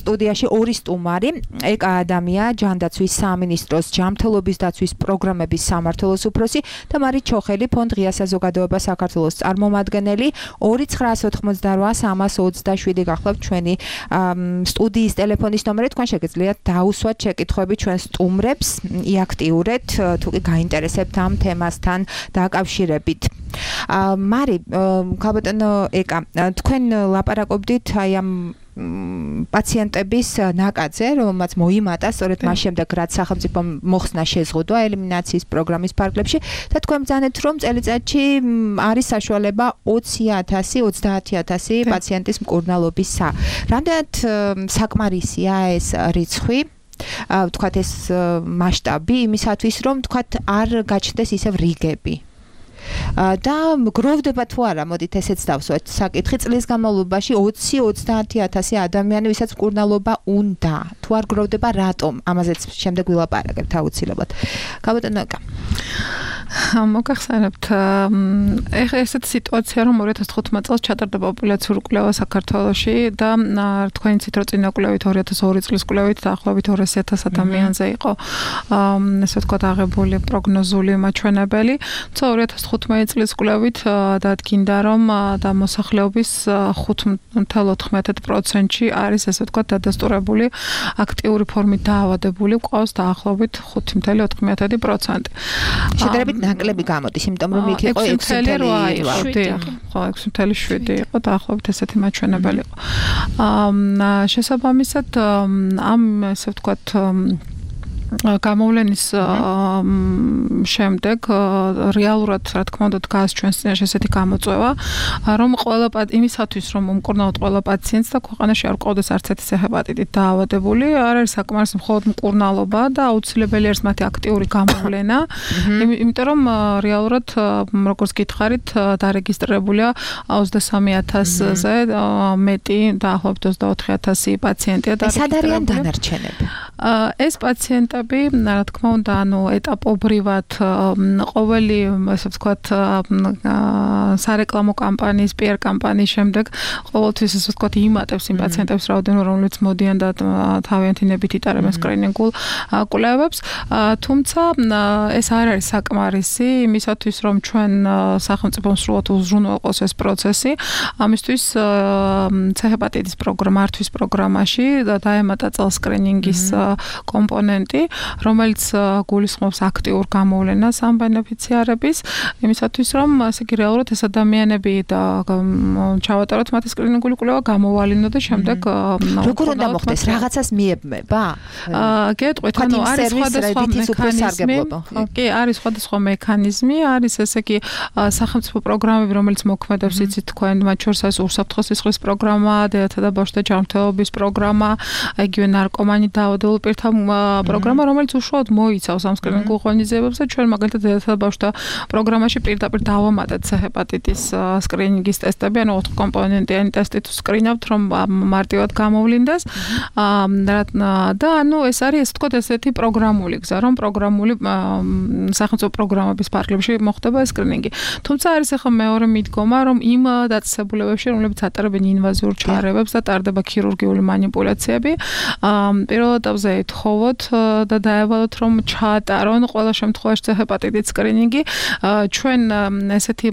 სტუდიაში ორი სტუმარი, ეკა ადამია, ჯანდაცვის სამინისტროს ჯანმრთელობის დაცვის პროგრამების სამმართველოს უფროსი და მარით ჩოხელი, ფონდ ღია საზოგადოება საქართველოს წარმომადგენელი. 2988 327 გახლავთ ჩვენი სტუდიის ტელეფონის ნომერი. თქვენ შეგიძლიათ დაუსვათ შეკითხვები ჩვენ სტუმრებს, იაქტიურეთ, თუ კი გაინტერესებთ ამ თემასთან დაკავშირებით. მარი, ქალბატონო ეკა, თქვენ ლაპარაკობდით აი ამ პაციენტების ნაკადზე, რომელმაც მოიმატა სწორედ მას შემდეგ, რაც სახელმწიფომ მოხსნა შეზღუდვა ელიმინაციის პროგრამის ფარგლებში და თქვენ ბრძანეთ, რომ წელიწადში არის საშუალება 20,000-30,000 პაციენტის მკურნალობისა. რამდენად საკმარისია ეს რიცხვი? ვთქვათ ეს მასშტაბი იმისათვის, რომ ვთქვათ არ გაჩნდეს ისევ რიგები. და გროვდება თუ არა, მოდით ესეც დავსვათ საკითხი, წლის განმავლობაში 20-30,000 ადამიანი, ვისაც მკურნალობა უნდა, თუ არ გროვდება, რატომ? ამაზეც შემდეგ ვილაპარაკებთ აუცილებლად. ქალბატონო ეკა. მოგახსენებთ, ესეთი სიტუაცია, რომ 2015 წელს ჩატარდა პოპულაციური კვლევა საქართველოში და თქვენ იცით, რომ წინა კვლევით 2002 წლის კვლევით დაახლოებით 200,000 ადამიანზე იყო ესე ვთქვათ აღებული პროგნოზული მაჩვენებელი. 2015 წლის კვლევით დადგინდა, რომ და მოსახლეობის 5.14%-ში არის ესე ვთქვათ დადასტურებული აქტიური ფორმით დაავადებული, ყავს დაახლოებით 5.4%. შედარებით ნაკლები გამოდის, იმიტომ რომ იქ იყო 6.8. ხო, 6.7 იყო დაახლოებით ესეთი მაჩვენებელი იყო. შესაბამისად, ამ ესე ვთქვათ გამოვლენის შემდეგ რეალურად რა თქმა უნდა დგას ჩვენს წინაშე ესეთი გამოწვევა, რომ ყველა იმისათვის რომ უმკურნალოთ ყველა პაციენტს და ქვეყანაში არ ყავდეს არც ერთი C-ჰეპატიტით დაავადებული, არ არის საკმარისი მხოლოდ მკურნალობა და აუცილებელი არის მათი აქტიური გამოვლენა, იმიტომ რომ რეალურად როგორც გითხარით დარეგისტრირებულია 23,000-ზე მეტი, დაახლოებით 24,000 პაციენტია დარეგისტრირებული. ეს არიან დანარჩენები. ეს პაციენტები, რა თქმა უნდა, ეტაპობრივად ყოველი, ასე ვთქვათ, სარეკლამო კამპანიის, PR კამპანიის შემდეგ ყოველთვის, ასე ვთქვათ, იმატებს იმ პაციენტებს რაოდენობა, რომლებიც მოდიან და თავიანთი ნებით იტარებენ სკრინინგულ კვლევებს, თუმცა ეს არ არის საკმარისი იმისათვის, რომ ჩვენ სახელმწიფომ სრულად უზრუნველყოს ეს პროცესი. ამისთვის C-ჰეპატიტის მართვის პროგრამაში დაემატა წელს სკრინინგის კომპონენტი, რომელიც გულისხმობს აქტიურ გამოვლენას ამ ბენეფიციარების, იმისათვის, რომ ასე იგი რეალურად ეს ადამიანები ჩავატაროთ მათი სკრინინგული კვლევა, გამოვალინო და შემდეგ როგორ უნდა მოხდეს? რაღაცას მიებმება? გეტყვით, არის სხვადასხვა მექანიზმი. კი, არის სხვადასხვა მექანიზმი, არის ესე იგი სახელმწიფო პროგრამები, რომელიც მოქმედებს, იცით თქვენ, მათ შორის არის უსაფრთხო სისხლის პროგრამა, დედათა და ბავშვთა ჯანმრთელობის პროგრამა, იგივე ნარკომანით დაავადებულ პირთა პროგრამა, რომელიც უშუალოდ მოიცავს ამ სკრინინგულ ღონისძიებებს და ჩვენ მაგალითად დედათა და ბავშვთა პროგრამაში პირდაპირ დავამატეთ C-ჰეპატიტის სკრინინგის ტესტები, ანუ 4 კომპონენტიანი ტესტი თუ სკრინავთ, რომ მარტივად გამოვლინდეს. და ეს არის ესე ვთქვათ ესეთი პროგრამული გზა, რომ პროგრამული სახელმწიფო პროგრამების ფარგლებში მოხდება ეს სკრინინგი. თუმცა არის ახლა მეორე მიდგომა, რომ იმ დაწესებულებებში, რომლებიც ატარებენ ინვაზიურ ჩარეებებს და ტარდება ქირურგიული манипуляციები, პირველ ეტაპზე ეთხოვოთ და დაევალოთ, რომ ჩაატარონ ყველა შემთხვევაში C-ჰეპატიტის სკრინინგი. ჩვენ ესეთი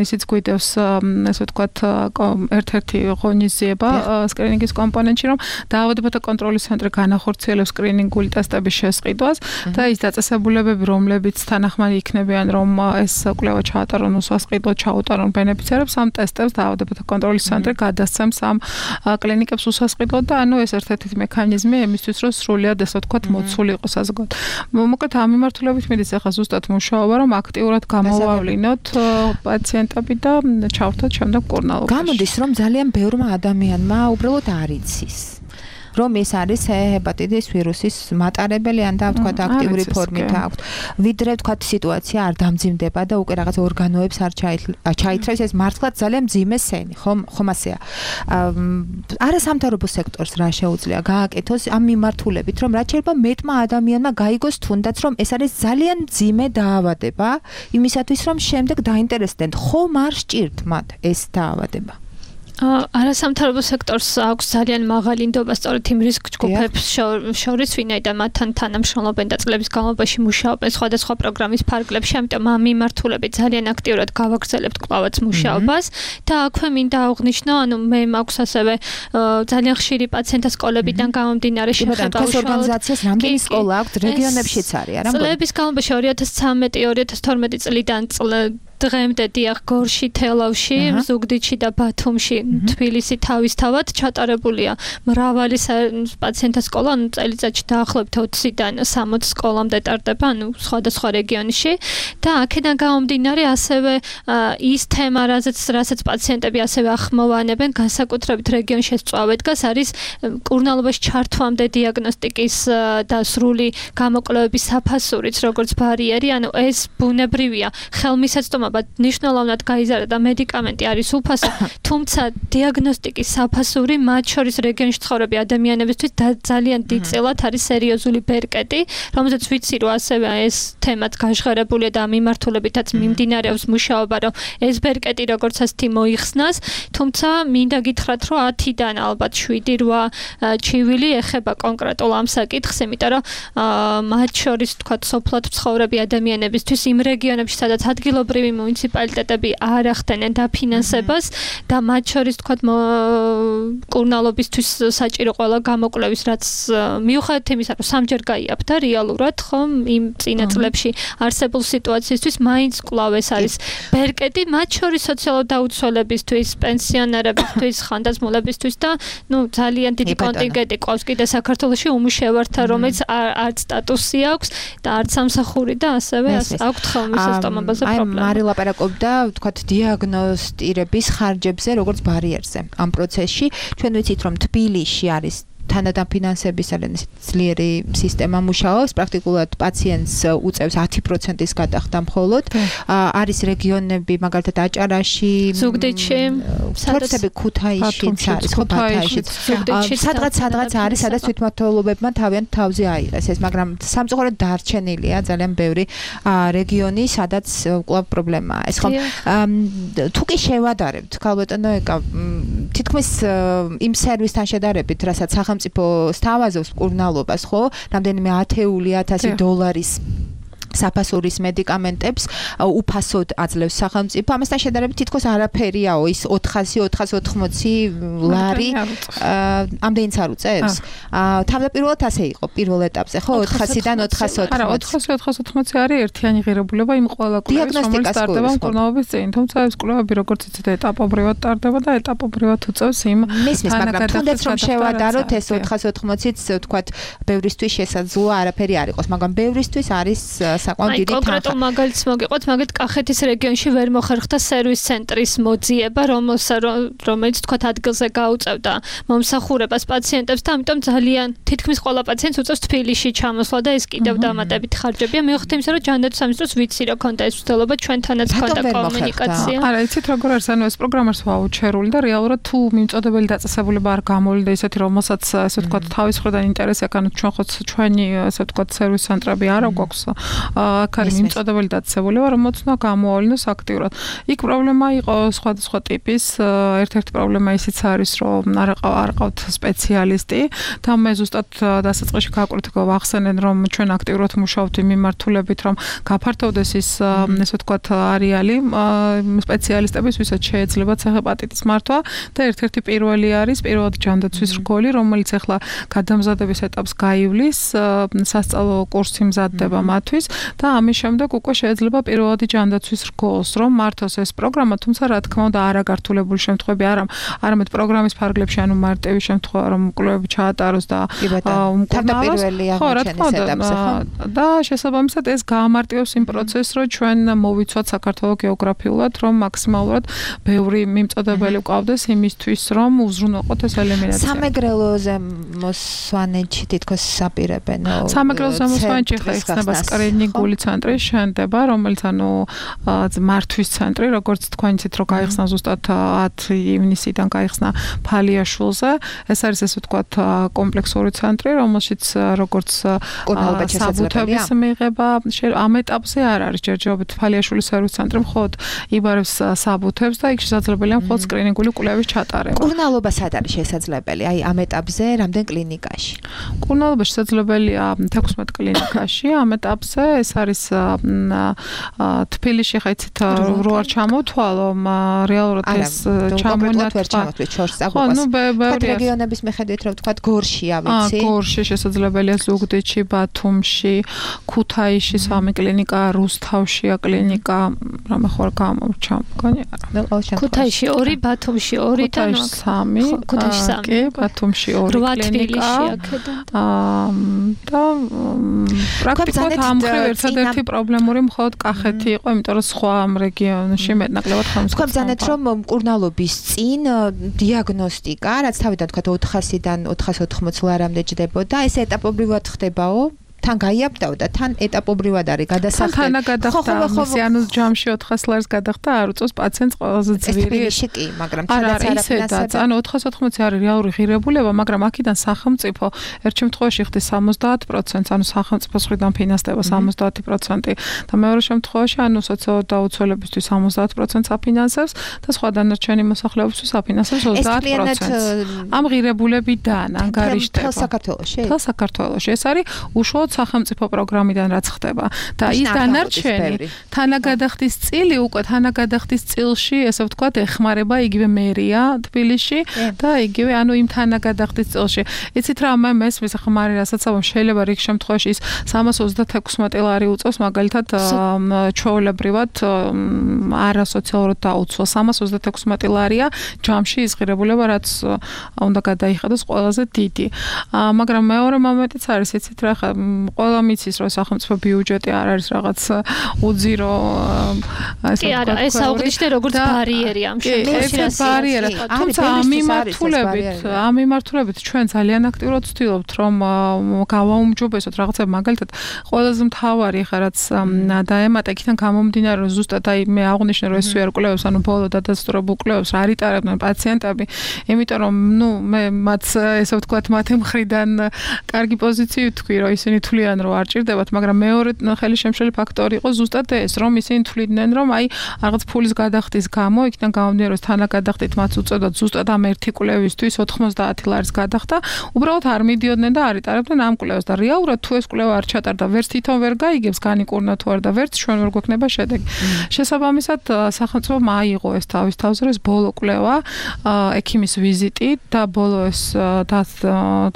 ისიც გვიდევს, ესე ვთქვათ, ერთ-ერთი ღონისძიება სკრინინგის კომპონენტში, რომ დაავადებათა კონტროლის ცენტრი განახორციელებს სკრინინგული ტესტების შესყიდვას და ის დაწესებულებები, რომლებიც თანახმად იქნებიან, რომ ეს კვლევა ჩაატარონ უსასყიდლოდ ჩაუტარონ ბენეფიციარებს, ამ ტესტებს დაავადებათა კონტროლის ცენტრი გადასცემს ამ კლინიკებს უსასყიდლოდ და ეს ერთ-ერთი მექანიზმი იმისთვის, რომ სრულად ესე ვთქვათ, მოცული იყოს საზოგადო. მოკლედ ამ მიმართულებით მიდის ახლა ზუსტად მუშაობა, რომ აქტიურად გამოვავლინოთ პაციენტები და ჩავთოთ შემდეგ მკურნალობაში. გამოდის, რომ ძალიან ბევრმა ადამიანმა უბრალოდ არ იცის. რომ ეს არის C-ჰეპატიტის ვირუსის მატარებელი ან და ვთქვათ აქტიური ფორმით აქვს. ვიდრე ვთქვათ სიტუაცია არ დამძიმდება და უკვე რაღაც ორგანოებს არ ჩაითრევს, ეს მართლაც ძალიან მძიმე სენი, ხომ ასეა. არასამთავრობო სექტორს რა შეუძლია გააკეთოს ამ მიმართულებით, რომ რაც შეიძლება მეტმა ადამიანმა გაიგოს თუნდაც, რომ ეს არის ძალიან მძიმე დაავადება, იმისათვის რომ შემდეგ დაინტერესდნენ, ხომ არ სჭირთ მათ ეს დაავადება. არასამთავრობო სექტორს აქვს ძალიან მაღალი ნდობა სწორედ იმ რისკ ჯგუფებს შორის, ვინაიდან მათთან თანამშრომლობენ და წლების განმავლობაში მუშაობენ სხვადასხვა პროგრამის ფარგლებში, ამიტომ ამ მიმართულებით ძალიან აქტიურად გავაგრძელებთ კვლავაც მუშაობას და აქვე მინდა აღვნიშნო, მე მაქვს ასევე ძალიან ხშირი პაციენტთა სკოლებიდან გამომდინარე შეხება უშუალოდ ორგანიზაციას რამდენი სკოლა აქვს რეგიონებშიც არის, არა? წლების განმავლობაში 2013-2012 წლიდან დღემდე დიახ გორში, თელავში, ზუგდიდში და ბათუმში, თბილისი თავისთავად ჩატარებულია მრავალი პაციენტთა სკოლა, წელიწადში დაახლოებით 20-დან 60 სკოლამდე ტარდება, სხვადასხვა რეგიონში და აქედან გამომდინარე ასევე ის თემა, რასაც პაციენტები ასევე ახმოვანებენ, განსაკუთრებით რეგიონში წვავე დგას, არის მკურნალობაში ჩართვამდე დიაგნოსტიკის და სრული გამოკვლევების საფასურიც, როგორც ბარიერი, ეს ბუნებრივია, ხელმისაწვდომობა ნიშნულოვნად გაიზარდა მედიკამენტი არის უფასო, თუმცა დიაგნოსტიკის საფასური მათ შორის რეგიონში ცხოვრები ადამიანებისთვის ძალიან დიდწილად არის სერიოზული ბერკეტი, რომელზეც ვიცი, რომ ასევე ეს თემაც გაჟღერებულია და მიმართულებითაც მიმდინარეობს მუშაობა, რომ ეს ბერკეტი როგორც ასეთი მოიხსნას, თუმცა მინდა გითხრათ, რომ 10-დან ალბათ 7-8 ჩივილი ეხება კონკრეტულ ამ საკითხს, იმიტომ რომ მათ შორის თქვა სოფლად მცხოვრები ადამიანებისთვის იმ რეგიონებში, სადაც ადგილობრივი მუნიციპალიტეტები არ ახდენენ დაფინანსებას და მათ შორის თქვა მკურნალობისთვის საჭირო ყველა გამოკვლევის, რაც მიუხედავად იმისა, რომ სამჯერ გაიაფთა რეალურად, ხომ იმ წინა წლებში არსებულ სიტუაციისთვის მაინც კვლავ ეს არის ბერკეტი, მათ შორის სოციალურ დაუცველებისთვის, პენსიონერებისთვის, ხანდაზმულებისთვის და ძალიან დიდი კონტინგენტი ყავს კიდე საქართველოში უმუშევართა, რომელიც არც სტატუსი აქვს და არც სამსახური და ასევე აქვთ ხელმისაწვდომობაზე პრობლემა. ლაპარაკობდა, ვთქვათ, დიაგნოსტირების ხარჯებზე, როგორც ბარიერზე ამ პროცესში. ჩვენ ვიცით, რომ თბილისში არის თანადამფინანსების ძლიერი სისტემა მუშაობს, პრაქტიკულად პაციენტს უწევს 10%-ის გადახდა მხოლოდ. არის რეგიონები, მაგალითად აჭარაში, ზუგდიდში, ქუთაისშიც არის, ბათაისშიც. სადღაც არის, სადაც თვითმმართველობებმა თავზე აიღეს ეს, მაგრამ სამწუხაროდ დარჩენილია ძალიან ბევრი რეგიონი, სადაც კვლავ პრობლემაა. ეს ხო თუ კი შევადარებთ, ქალბატონო ეკა, თითქმის იმ სერვისთან შედარებით, რასაც სახელმწიფო სთავაზობს მკურნალობას, ხო? რამდენიმე $10,000 საფასურის medicaments უფასოდ აძლევს სახელმწიფო. ამასთან შედარებით თითქოს არაფერიაო, ის 400-480 ლარი ამდენიც არ უწევს. თავდაპირველად ასე იყო პირველ ეტაპზე, ხო? 400-დან 480. არა, 400-480 არის ერთიანი ღირებულება იმ ყველა კვლევის, რომელიც ტარდება მკურნალობის წინ. თუმცა ეს კვლევები როგორც იცით, ეტაპობრივად ტარდება და ეტაპობრივად უწევს იმ მაგრამ თუნდაც რომ შევადაროთ ეს 480-იც, ვთქვათ, ბევრისთვის შესაძლოა არაფერი არ იყოს, მაგრამ ბევრისთვის არის საკმაოდ დიდი თანხა. კონკრეტულ მაგალითს მოგიყვეთ, მაგალითად კახეთის რეგიონში ვერ მოხერხდა სერვის ცენტრის მოძიება, რომელიც თქვათ ადგილზე გაუწევდა მომსახურებას პაციენტებს და ამიტომ ძალიან თითქმის ყველა პაციენტს უწევს თბილისში ჩამოსვლა და ეს კიდევ დამატებით ხარჯებია. მიუხედავად იმისა, რომ ჯანდაცვის სამინისტროს ვიცი რა ქონდა ეს ცდელობა, ჩვენთანაც ქონდა კომუნიკაცია. არა, იცით როგორ არის, ანუ ეს პროგრამას ვაუჩერული და რეალურად თუ მიმწოდებელი დაწესებულება არ გამოვიდა ისეთი, რომელსაც ესე ვთქვათ თავის ხრიდან ინტერესი აქვს, ანუ ჩვენ ხო ჩვენი ესე ვთქვათ სერვის ცენტრები არა გვაქვს. აქ არის მიმწოდებელი დაწესებულება, რომელიც უნდა გამოავლინოს აქტიურად. იქ პრობლემა იყო სხვადასხვა ტიპის. ერთ-ერთი პრობლემა ისიც არის, რომ არ ყავთ სპეციალისტი და მე ზუსტად დასაწყისში გავახსენენ, რომ ჩვენ აქტიურად მუშაობთ იმ მიმართულებით, რომ გაფართოვდეს ის ესე ვთქვათ არეალი სპეციალისტების, ვისაც შეეძლებათ ჰეპატიტის მართვა და ერთ-ერთი პირველი არის პირველად ჯანდაცვის რგოლი, რომელიც ახლა გადამზადების ეტაპს გაივლის, სასწავლო კურსი მზადდება მათთვის და ამის შემდეგ უკვე შეიძლება პირველადი ჯანდაცვის რგოლს რომ მართოს ეს პროგრამა, თუმცა რა თქმა უნდა არაგართულებული შემთხვევები არამედ პროგრამის ფარგლებში, ანუ მარტივი შემთხვევა რომ კვლევები ჩაატაროს და თავდაპირველი აღმოჩენის ეტაპზე, ხო? და შესაბამისად ეს გაამარტივებს იმ პროცესს, რომ ჩვენ მოვიცვათ საქართველოს გეოგრაფიულად, რომ მაქსიმალურად ბევრი მიმწოდებელი ვყავდეს იმისთვის, რომ უზრუნველყოთ ეს ელემინაცია. სამეგრელოზე მოსვანეთში თითქოს საპირებენო. სამეგრელოზე მოსვანეთში ხდება სკრინინგული ცენტრი შენდება, რომელიც ანუ მართვის ცენტრი, როგორც თქვენ იცით, რომ გაიხსნა ზუსტად 10 ივნისიდან გაიხსნა ფალიაშვილზე. ეს არის ესე ვთქვათ კომპლექსური ცენტრი, რომელშიც როგორც საბუთების მიღება ამ ეტაპზე არ არის ჯერჯერობით ფალიაშვილის სერვის ცენტრი მხოლოდ იბარებს საბუთებს და იქ შესაძლებელია მხოლოდ სკრინინგული კვლევის ჩატარება. მკურნალობა სად არის შესაძლებელი? აი ამ ეტაპზე რამდენ კლინიკაში? მკურნალობა შესაძლებელია 16 კლინიკაში. ამ ეტაპზე ეს არის თბილისში ხა იცით რო არ ჩამოთვალო, რეალურად ეს ჩამონათვა ჩორს წაგვიყვას. რეგიონების მიხედვით რომ ვთქვათ გორშია, ვიცი? გორში შესაძლებელია, ზუგდიდში, ბათუმში, ქუთაისში 3 კლინიკა, რუსთავშია კლინიკა, რამე ხო არ გამორჩა მგონი არა. ქუთაისში 2, ბათუმში 2 და 3. ქუთაისში 3. კი, ბათუმში 2 კლინიკა. და პრაქტიკულად ამ მხრივ ერთადერთი პრობლემური მხოლოდ კახეთი იყო, იმიტომ რომ სხვა ამ რეგიონში მეტნაკლებად ხმს. თქვენ ბრძანეთ, რომ მკურნალობის წინ დიაგნოსტიკა, რაც თავიდან თქვა 400-დან 480 ლარამდე ჯდებოდა, ეს ეტაპობრივად ხდებაო? თან გაიაბდაო და თან ეტაპობრივად არის გადასახდელი. თან გადახდა, ანუ ჯამში 400 ლარს გადახდა, არ უწევს პაციენტს ყველაზე ძვირი. კი, მაგრამ თანდაც არაფინანსება. ანუ 480 არის რეალური ღირებულება, მაგრამ აქედან სახელმწიფო ერთ შემთხვევაში ხდის 70%, ანუ სახელმწიფოს მხრიდან ფინანსდება 70% და მეორე შემთხვევაში ანუ სოციალურ დაუცველებისთვის 70%-ს აფინანსებს და სხვა დანარჩენი მოსახლეობისთვის აფინანსებს 30%. ამ ღირებულებიდან ანგარიშდება. თელ საქართველოში. ეს არის უშუალოდ სახელმწიფო პროგრამიდან რაც ხდება და ის დანარჩენი თანაგადახდის წილი უკვე თანაგადახდის წილში ესე ვთქვათ ეხმარება იგივე მერია თბილისში და იგივე ანუ იმ თანაგადახდის წილში იცით რა მე მესმის ხმარი რასაც ამბობ შეიძლება რიგ შემთხვევაში ის 336 ლარი უწევს მაგალითად ჩვეულებრივად არასოციალურად დაუცველ 336 ლარია ჯამში ის ღირებულება რაც უნდა გადაიხადოს ყველაზე დიდი მაგრამ მეორე მომენტიც არის იცით რა ხა ყველა მიცის რომ სახელმწიფო ბიუჯეტი არ არის რაღაც უძირო კი არა ეს აუგდიშნე როგორც ბარიერი ამ შემთხვევაში ბარიერა თუმცა ამ მიმართულებით ჩვენ ძალიან აქტიურად ვცდილობთ რომ გავაუმჯობესოთ რაღაცა მაგალითად ყველაზე მთავარი ხა რაც დაემატა იქიდან გამომდინარე რომ ზუსტად აი მე აღვნიშნე რომ ეს ვერ კვლევებს ანუ ბოლო დადასტურებულ კვლევებს არ იტარებდნენ პაციენტები იმიტომ რომ მე მათ ესე ვთქვათ მათი მხრიდან კარგი პოზიცია თქვი რომ ისინი თვლიან რომ არ ჭირდებათ მაგრამ მეორე ხელი შემშელი ფაქტორი იყო ზუსტად ეს რომ ისინი თვლიდნენ რომ აი რაღაც ფულის გადახდის გამო იქიდან გამომდინარე რომ თანაგადახდით მათ უწოდოთ ზუსტად ამ ერთი კვლევისთვის 90 ლარის გადახდა უბრალოდ არ მიდიოდნენ და არ იტარებდნენ ამ კვლევას და რეალურად თუ ეს კვლევა არ ჩატარდა ვერც თვითონ ვერ გაიგებს განიკურნა თუ არ და ვერც ჩვენ ვერ გვექნება შედეგი შესაბამისად სახელმწიფომ აიღო ეს თავის თავზე ეს ბოლო კვლევა ექიმის ვიზიტი და ბოლო ეს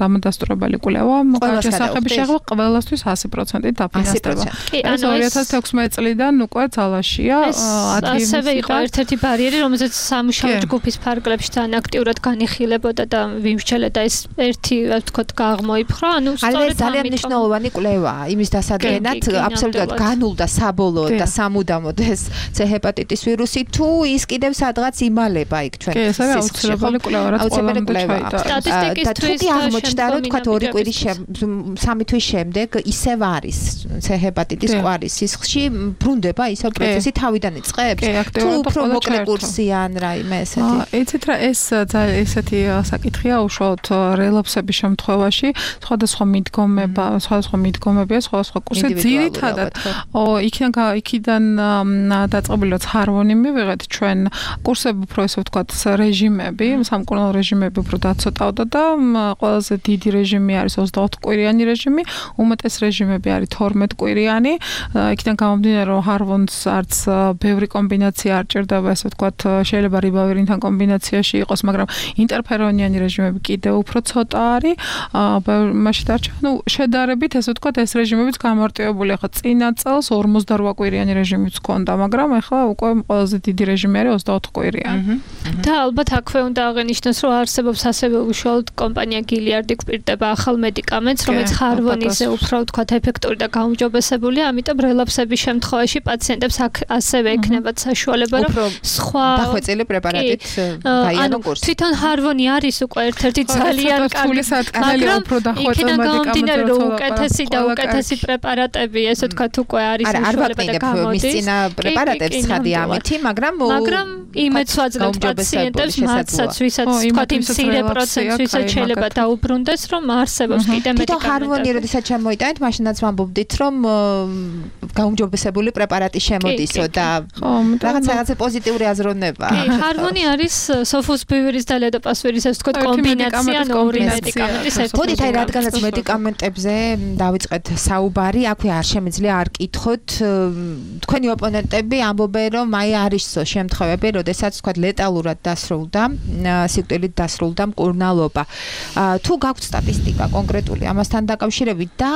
დამადასტურებელი კვლევა შესახები შეღვა ყველასთვის 100% დაფინანსდება. ეს 2016 წლიდან უკვე ძალაშია 10 ასევე იყო ერთ-ერთი ბარიერი, რომელზეც სამუშაო ჯგუფის ფარგლებში თან აქტიურად განიხილებოდა და ვიმსჯელებდა ეს ერთი ვთქვათ გაღმოიფხრო, ანუ სწორედ ძალიან მნიშვნელოვანი კვლევაა იმის დასადგენად, აბსოლუტურად განულდა საბოლოოდ და სამუდამოდ ეს C ჰეპატიტის ვირუსი თუ ის კიდევ სადღაც იმალება იქ ჩვენ აუცილებელი კვლევა რაც ყველამ სტატისტიკისთვის აღმოჩნდა რომ თქვათ 2 კვირის 3 თვის შემდეგ ისევ არის C ჰეპატიტის კვარის სისხლში ბრუნდება ისევ პროცესი თავიდან იწყებს თუ უფრო მოკლე კურსია ან რაიმე ესეთი იცით რა ეს ესეთი საკითხია უშუალოდ რელაპსების შემთხვევაში სხვადასხვა მიდგომებია სხვადასხვა კურსი ძირითადად იქიდან დაწყებული რაც ჰარვონი მივიღეთ ჩვენ კურსები უფრო ესე ვთქვათ რეჟიმები სამკურნალო რეჟიმები უფრო დაცოტავდა და ყველაზე დიდი რეჟიმი არის 24 კვირიანი რეჟიმი უმეტეს რეჟიმები არის 12 კვირიანი იქიდან გამომდინარე რომ ჰარვონს არც ბევრი კომბინაცია არ ჭირდება ესე ვთქვათ შეიძლება რიბავირინთან კომბინაციაში იყოს მაგრამ ინტერფერონიანი რეჟიმები კიდევ უფრო ცოტა არის მაშინ დარჩა ну შედარებით ესე ვთქვათ ეს რეჟიმებიც გამარტივებული ახლა წინა წელს 48 კვირიანი რეჟიმიც ჰქონდა მაგრამ ახლა უკვე ყველაზე დიდი რეჟიმი არის 24 კვირიანი და ალბათ აქვე უნდა აღინიშნოს რომ არსებობს ასევე უშუალოდ კომპანია გილიარდი გვპირდება ახალ მედიკამენტს რომელიც ჰარვონიზე უფრო ვთქვათ ეფექტური და გაუმჯობესებულია ამიტომ რელაპსების შემთხვევაში პაციენტებს ასევე ექნებათ საშუალება რომ სხვა დახვეწილი პრეპარატით გაიარონ კურსი თვითონ ჰარვონი არის უკვე ერთ-ერთი ძალიან კარგი მაგრამ იქიდან გამომდინარე რომ უკეთესი და უკეთესი პრეპარატები ესე ვთქვათ უკვე არის საშუალება და გამოდის მის წინა პრეპარატებს ხადი ამითი მაგრამ იმედს ვაძლევთ პაციენტებს მათსაც ვისაც ვთქვათ იმ მცირე პროცენტს ვისაც შეიძლება დაუბრუნდეს რომ არსებობს კიდე მედიკამენტები თვითონ ჰარვონი როდესაც შემოიტანეთ მაშინაც ვამბობდით რომ გაუმჯობესებული პრეპარატი შემოდისო და რაღაცა პოზიტიური აზროვნება ჰარვონი არის სოფოსბივერის და ლედოპასვირის ეს ვთქვათ კომბინაცია ორი მედიკამენტის ერთად მოდით აი რადგანაც მედიკამენტებზე დავიწყეთ საუბარი აქვე არ შემიძლია არ კითხოთ თქვენი ოპონენტები ამბობენ რომ აი არისო შემთხვევები როდესაც ვთქვათ ლეტალურად დასრულდა სიკვდილით დასრულდა მკურნალობა თუ გაქვთ სტატისტიკა კონკრეტული ამასთან დაკავშირებით და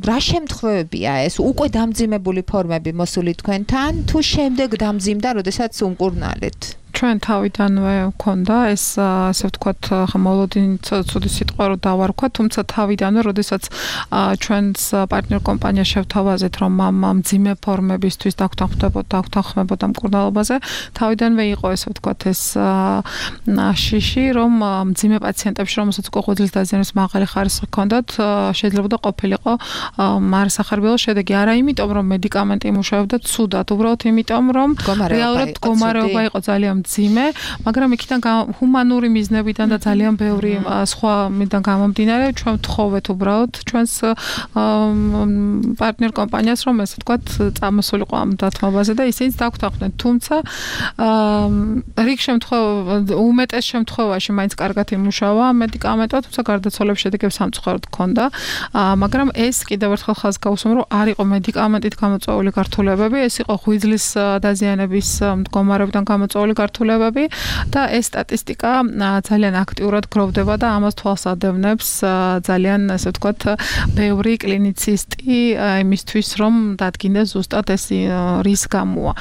რა შემთხვევებია ეს უკვე დამძიმებული ფორმები მოსული თქვენთან თუ შემდეგ დამძიმდა როდესაც უმკურნალეთ ჩვენ თავიდანვე მქონდა ეს ასე ვთქვათ მოლოდინი ცუდი სიტყვა რო დავარქვა თუმცა თავიდანვე როდესაც ჩვენს პარტნიორ კომპანია შევთავაზეთ რომ ამ მძიმე ფორმებისთვის დაგთანხმებოდა მკურნალობაზე თავიდანვე იყო ესე ვთქვათ ეს შიში რომ მძიმე პაციენტებში რომელსაც უკვე ღვიძლის დაზიანების მაღალი ხარისხი ჰქონდათ შეიძლება ყოფილიყო მარსახარბიელო შედეგი არა იმიტომ რომ მედიკამენტი იმუშავებდა ცუდად უბრალოდ იმიტომ რომ რეალურად მდგომარეობა იყო ძალიან მძიმე, მაგრამ იქიდან ჰუმანური მიზნებიდან და ძალიან ბევრი სხვა მიდან გამომდინარე, ჩვენ ვთხოვეთ უბრალოდ ჩვენს პარტნიორ კომპანიას, რომ ესე ვთქვათ, წამოსულიყო ამ დათმობაზე და ისინიც დაგვთანხმდნენ. თუმცა რიგ უმეტეს შემთხვევაში მაინც კარგად იმუშავა მედიკამენტო, თუმცა გარდაცვალების შედეგები სამწუხაროდ ჰქონდა, მაგრამ ეს კიდევ ერთხელ ხაზს გავუსვამ, რომ არ იყო მედიკამენტით გამოწვეული გართულებები, ეს იყო ღვიძლის დაზიანების მდგომარეობიდან გამოწვეული გართულებები მიმართულებები და ეს სტატისტიკა ძალიან აქტიურად გროვდება და ამას თვალს ადევნებს ძალიან ასე ვთქვათ ბევრი კლინიცისტი იმისთვის რომ დადგინდეს ზუსტად ეს რის გამოა.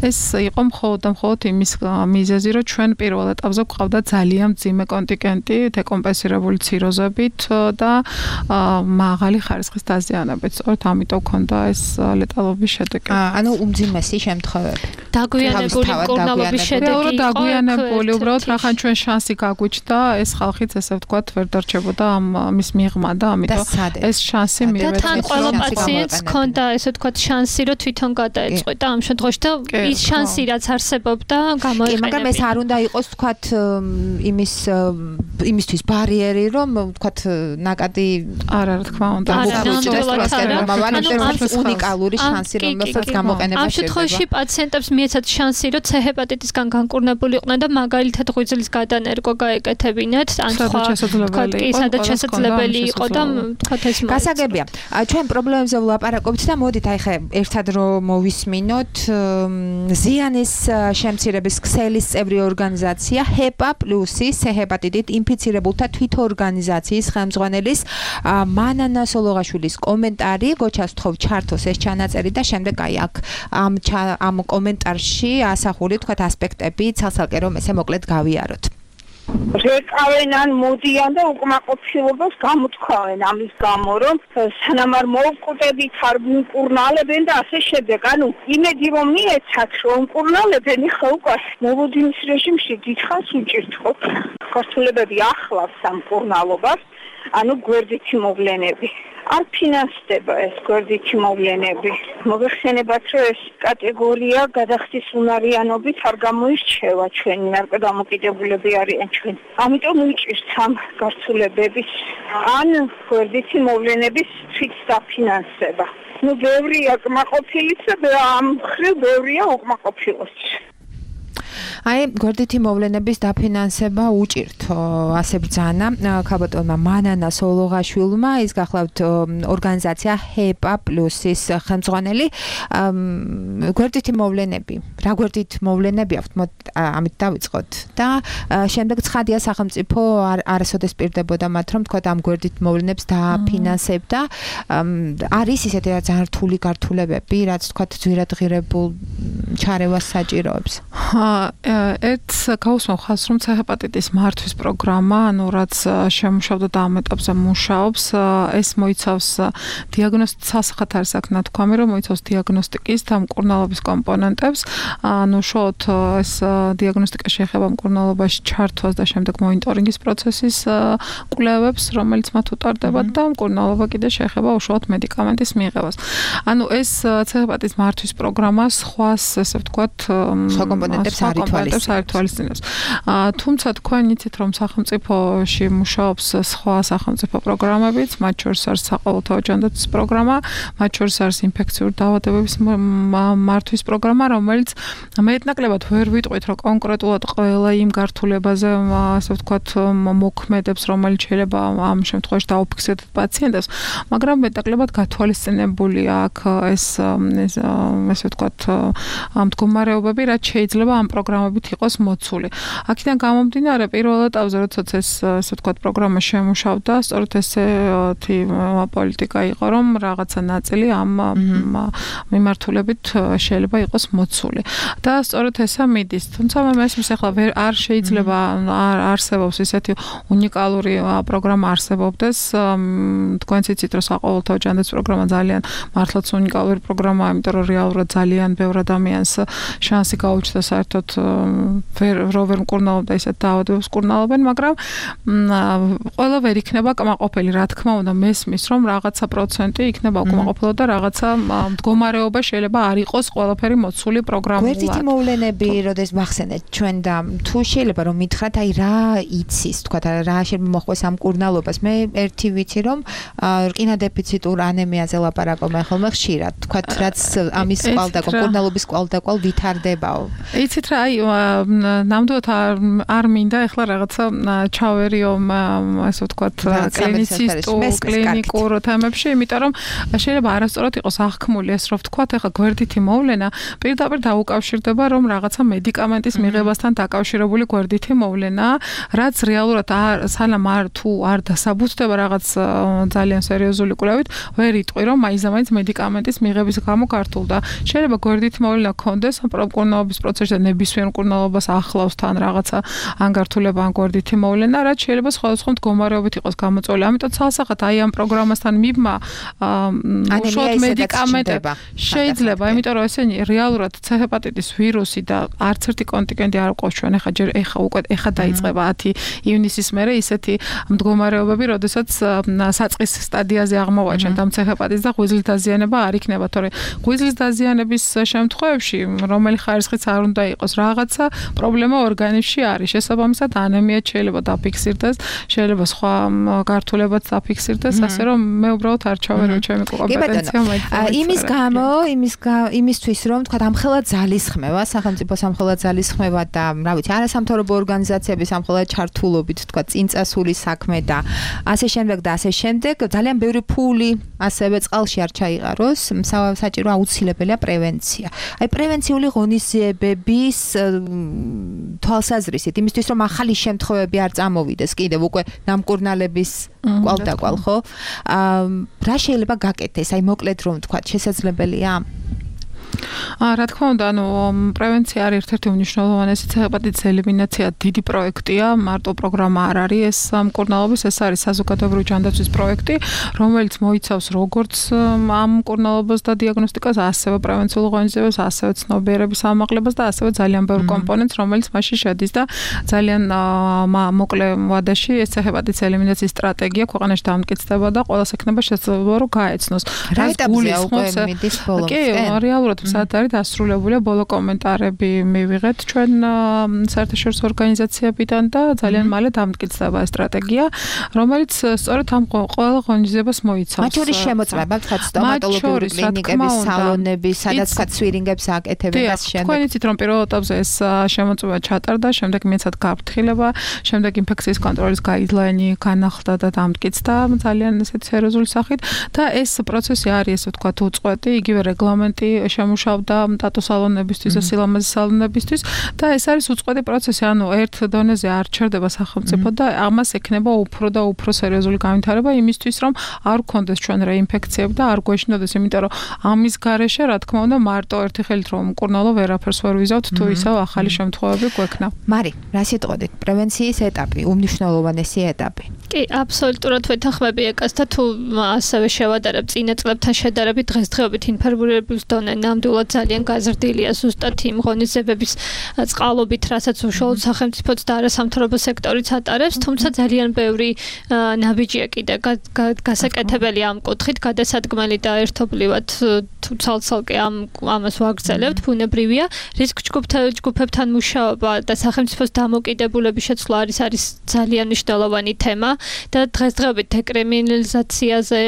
ეს იყო მხოლოდ იმის მიზეზი, რომ ჩვენ პირველ ეტაპზე გვყავდა ძალიან მძიმე კონტინგენტი დეკომპენსირებული ციროზებით და მაღალი ხარისხის დაზიანებით. სწორედ ამიტომ ქონდა ეს ლეტალობის შედეგი. ანუ უმძიმესი შემთხვევები. დაგვიანებული მკურნალობის შედეგი იყო. დაგვიანებული, უბრალოდ რახან ჩვენ შანსი გაგვიჩნდა, ეს ხალხიც ესე ვთქვათ ვერ დარჩებოდა ამის მიღმა და ამიტომ ეს შანსი მივეცეთ. თან ყველა პაციენტს ქონდა ესე ვთქვათ შანსი, რომ თვითონ გადაეწყვეტა ამ შემთხვევაში და ის შანსი რაც არსებობდა გამოიყენება. მაგრამ ეს არ უნდა იყოს ვთქვათ იმისთვის ბარიერი, რომ ვთქვათ ნაკადი არა რა თქმა უნდა. უნიკალური შანსი, რომელსაც გამოყენება ამ შემთხვევაში პაციენტებს მიეცათ შანსი, რომ C ჰეპატიტისგან განკურნებული იყვნენ და მაგალითად ღვიძლის გადანერგვა გაეკეთებინათ, ან სხვა სადაც შესაძლებელი იყო და თქვათ ეს მოეწყო. გასაგებია. ჩვენ პრობლემებზე ვლაპარაკობთ და მოდით აი ხე ერთად რომ მოვისმინოთ ზიანის შემცირების ქსელის წევრი ორგანიზაცია HEPA პლუსის C ჰეპატიტით ინფიცირებულთა თვითორგანიზაციის ხელმძღვანელის მანანა სოლოღაშვილის კომენტარი, გოჩას ვთხოვ ჩართოს ეს ჩანაწერი და შემდეგ აი აქ ამ კომენტარში ასახული თქვათ ასპექტები ცალ-ცალკე რომ ესე მოკლედ გავიაროთ. რეკავენ ან მოდიან და უკმაყოფილებას გამოთქვავენ ამის გამო რომ სანამ არ მოვკვდებით არ მკურნალებენ და ასე შემდეგ. ანუ იმედი რომ მიეცათ რომ მკურნალებენ ხა უკვე მოვოდინის რეჟიმში დიდხანს უჭირთ ხო ქართულებები ახლავს ამ მკურნალობას. ანუ გვერდითი მოვლენები არ ფინანსდება ეს გვერდითი მოვლენები. მოგეხსენებათ რომ ეს კატეგორია გადახდის უნარიანობით არ გამოირჩევა ჩვენი ნარკოდამოკიდებულები არიან ჩვენ. ამიტომ უჭირთ ამ გართულებების ან გვერდითი მოვლენების თვით დაფინანსება. ნუ ბევრია კმაყოფილიც და ამ ხრივ ბევრია უკმაყოფილოც. აი გვერდითი მოვლენების დაფინანსება უჭირთო ასე ბრძანა ქალბატონმა მანანა სოლოღაშვილმა ის გახლავთ ორგანიზაცია HEPA პლუსის ხელმძღვანელი გვერდითი მოვლენები რა გვერდით მოვლენები აქვთ ამით დავიწყოთ და შემდეგ ცხადია სახელმწიფო არასოდეს პირდებოდა მათ რომ თქვა ამ გვერდით მოვლენებს დაფინანსებდა არის ისეთი რა ძალიან რთული გართულებები რაც თქვა ძვირადღირებულ ჩარევას საჭიროებს ეს გაუსმო ხალხს რომ C ჰეპატიტის მართვის პროგრამა, ანუ რაც შემუშავდა და ამ ეტაპზე მუშაობს, ეს მოიცავს დიაგნოსტიკას არის აქ ნათქვამი, რომ მოიცავს დიაგნოსტიკის და მკურნალობის კომპონენტებს, ანუ შოთ ეს დიაგნოსტიკა შეეხება მკურნალობაში ჩართვას და შემდეგ მონიტორინგის პროცესის კვლევებს, რომელიც მათ უტარდება და მკურნალობა კიდე შეეხება უშუალოდ მედიკამენტის მიღებას. ანუ ეს C ჰეპატიტის მართვის პროგრამა სხვას ესე ვთქვათ სხვა კომპონენტებს ართვალისწინებს. თუმცა თქვენ იცით რომ სახელმწიფოში მუშაობს სხვა სახელმწიფო პროგრამებიც, მათ შორის არის საყოველთაო ჯანდაცვის პროგრამა, მათ შორის არის ინფექციური დაავადებების მართვის პროგრამა, რომელიც მეტნაკლებად ვერ ვიტყვით რომ კონკრეტულად ყველა იმ გართულებაზე ასე ვთქვათ მოქმედებს, რომელიც შეიძლება ამ შემთხვევაში დაუფიქსირდეთ პაციენტებს, მაგრამ მეტნაკლებად გათვალისწინებულია აქ ეს ასე ვთქვათ მდგომარეობები, რაც შეიძლება ამ პროგრამებით იყოს მოცული. აქედან გამომდინარე პირველ ეტაპზე როდესაც ეს ასე ვთქვათ პროგრამა შემუშავდა, სწორედ ესეთი პოლიტიკა იყო, რომ რაღაცა ნაწილი ამ მიმართულებით შეიძლება იყოს მოცული. და სწორედ ესა მიდის. თუმცა მე მესმის ახლა არ შეიძლება არ არსებობს ესეთი უნიკალური პროგრამა არსებობდეს. თქვენც იცით რომ საყოველთაო ჯანდაცვის პროგრამა ძალიან მართლაც უნიკალური პროგრამაა, იმიტომ რომ რეალურად ძალიან ბევრ ადამიანს შანსი გაუჩნდა საერთოდ ვერ მკურნალობდა ისეთ დაავადებებს მკურნალობენ, მაგრამ ყველა ვერ იქნება კმაყოფილი, რა თქმა უნდა, მესმის რომ რაღაცა პროცენტი იქნება უკმაყოფილო და რაღაცა მდგომარეობა შეიძლება არ იყოს ყველაფერი მოცული პროგრამულად. გვერდითი მოვლენები, როდეს მახსენეთ ჩვენ და თუ შეიძლება რომ მითხრათ, აი რა იცის, თქვათ რა შეიძლება მოხდეს ამ მკურნალობას. მე ერთი ვიცი რომ რკინა დეფიციტურ ანემიაზე ლაპარაკობენ ხოლმე ხშირად, თქვათ რაც ამის კვალდაკვალ, მკურნალობის კვალდაკვალ ვითარდებაო. იცით რა, აი ნამდვილად არ მინდა ეხლა რაღაცა ჩავერიო ასე ვთქვათ კლინიკურ თემებში, იმიტომ რომ შეიძლება არასწორად იყოს აღქმული ეს რომ ვთქვათ, ეხლა გვერდითი მოვლენა პირდაპირ დაუკავშირდება რომ რაღაცა მედიკამენტის მიღებასთან დაკავშირებული გვერდითი მოვლენა, რაც რეალურად სანამ თუ არ დასაბუთდება რაღაც ძალიან სერიოზული კვლევით, ვერ იტყვი რომ მაინც მედიკამენტის მიღების გამო გართულდა. შეიძლება გვერდითი მოვლენა ქონდეს მკურნალობის პროცესში ნებისმიერ მკურნალობას ახლავს თან რაღაცა ანგართულება ან გვერდითი მოვლენა, რაც შეიძლება სხვადასხვა მდგომარეობით იყოს გამოწვეული. ამიტომ ცალსახად აი ამ პროგრამასთან მიბმა უშუალოდ მედიკამენტები შეიძლება, იმიტომ რომ ესენი რეალურად C ჰეპატიტის ვირუსი და არც ერთი კონტინგენტი არ ყავს ჩვენ ეხა დაიწყება 10 ივნისის მერე ისეთი მდგომარეობები, როდესაც საწყის სტადიაზე აღმოვაჩენთ ამ C ჰეპატიტს და ღვიძლის დაზიანება არ იქნება, თორე ღვიძლის დაზიანების შემთხვევებში, რომელი ხარისხიც არ უნდა იყოს, რაღაცა პრობლემა ორგანიზმში არის. შესაბამისად, ანემია შეიძლება დაფიქსირდეს, შეიძლება სხვა გართულებაც დაფიქსირდეს, ასე რომ მე უბრალოდ არ ჩავერო ჩემი კომპეტენცია იმისთვის რომ თქვა ამხელა ძალისხმევა, სახელმწიფო სამხელა ძალისხმევა და რა ვიცი, არასამთავრობო ორგანიზაციების ამხელა ჩართულობით თქვა წინწასული საქმე და ასე შემდეგ და ასე შემდეგ, ძალიან ბევრი ფული ასევე წყალში არ ჩაიყაროს, საჭირო აუცილებელია პრევენცია. აი პრევენციული ღონისძიებების თვალსაზრისით, იმისთვის რომ ახალი შემთხვევები არ წამოვიდეს კიდევ უკვე ნამკურნალების კვალდაკვალ, ხო? რა შეიძლება გაკეთდეს? აი მოკლედ რომ თქვა, შესაძლებელია? რა თქმა უნდა, პრევენცია არის ერთ-ერთი უმნიშვნელოვანესი ჰეპატიტის ელიმინაცია დიდი პროექტია, მარტო პროგრამა არ არის ეს მკურნალობის, ეს არის საზოგადოებრივი ჯანდაცვის პროექტი, რომელიც მოიცავს როგორც ამ მკურნალობას და დიაგნოსტიკას, ასევე პრევენციულ ღონისძიებებს, ასევე ცნობიერების ამაღლებას და ასევე ძალიან ბევრ კომპონენტს, რომელიც მასში შედის და ძალიან მოკლე ვადაში ეს ჰეპატიტის ელიმინაციის სტრატეგია ქვეყანაში დამტკიცდება და ყველას ექნება შესაძლებლობა რომ გაეცნოს. რა გულისხმობს მიდის ბოლოს? კი, რეალურად სადაც არის დასრულებულია ბოლო კომენტარები მივიღეთ ჩვენ საერთაშორისო ორგანიზაციებიდან და ძალიან მალე დამტკიცდება ეს სტრატეგია, რომელიც სწორედ ამ ყველა ღონისძიებას მოიცავს. მათ შორის შემოწმება თქვა სტომატოლოგიური კლინიკების სალონები, სადაც თქვა სვირინგებს აკეთებენ და შემდეგ. თქვენ იცით რომ პირველ ეტაპზე ეს შემოწმება ჩატარდა, შემდეგ მიეცათ გაფრთხილება, შემდეგ ინფექციის კონტროლის გაიდლაინი განახლდა და დამტკიცდა ძალიან ესეთ სერიოზული სახით და ეს პროცესი არის ესე ვთქვათ უწყვეტი, იგივე რეგლამენტი შემუშავდა ტატუსალონებისთვის და სილამაზე სალონებისთვის და ეს არის უწყვეტი პროცესი, ანუ ერთ დონეზე არ ჩერდება სახელმწიფო და ამას ექნება უფრო და უფრო სერიოზული განვითარება იმისთვის, რომ არ გქონდეს ჩვენ რეინფექციები და არ გვეშინოდეს, იმიტომ რომ ამის გარეშე, რა თქმა უნდა, მარტო ერთი ხელით რომ მკურნალო ვერაფერს ვერ ვიზავთ, თუ ისევ ახალი შემთხვევები გვექნა. მარი, რა სიტყვით? პრევენციის ეტაპი, უმნიშვნელოვანესი ეტაპი. კი, აბსოლუტურად ვეთანხმები ეკას და თუ ასევე შევადარებ წინა წლებთან შედარებით დღესდღეობით ინფორმირების დონე ნამდვილად ძალიან გაზრდილია ზუსტად იმ ღონისძიებების წყალობით, რასაც უშუალოდ სახელმწიფოც და არასამთავრობო სექტორიც ატარებს, თუმცა ძალიან ბევრი ნაბიჯია კიდე გასაკეთებელი ამ კუთხით, გადასადგმელი და ერთობლივად თუ ცალ-ცალკე ამას ვაგრძელებთ, ბუნებრივია. რისკ ჯგუფებთან მუშაობა და სახელმწიფოს დამოკიდებულების შეცვლა არის ძალიან მნიშვნელოვანი თემა და დღესდღეობით დეკრიმინალიზაციაზე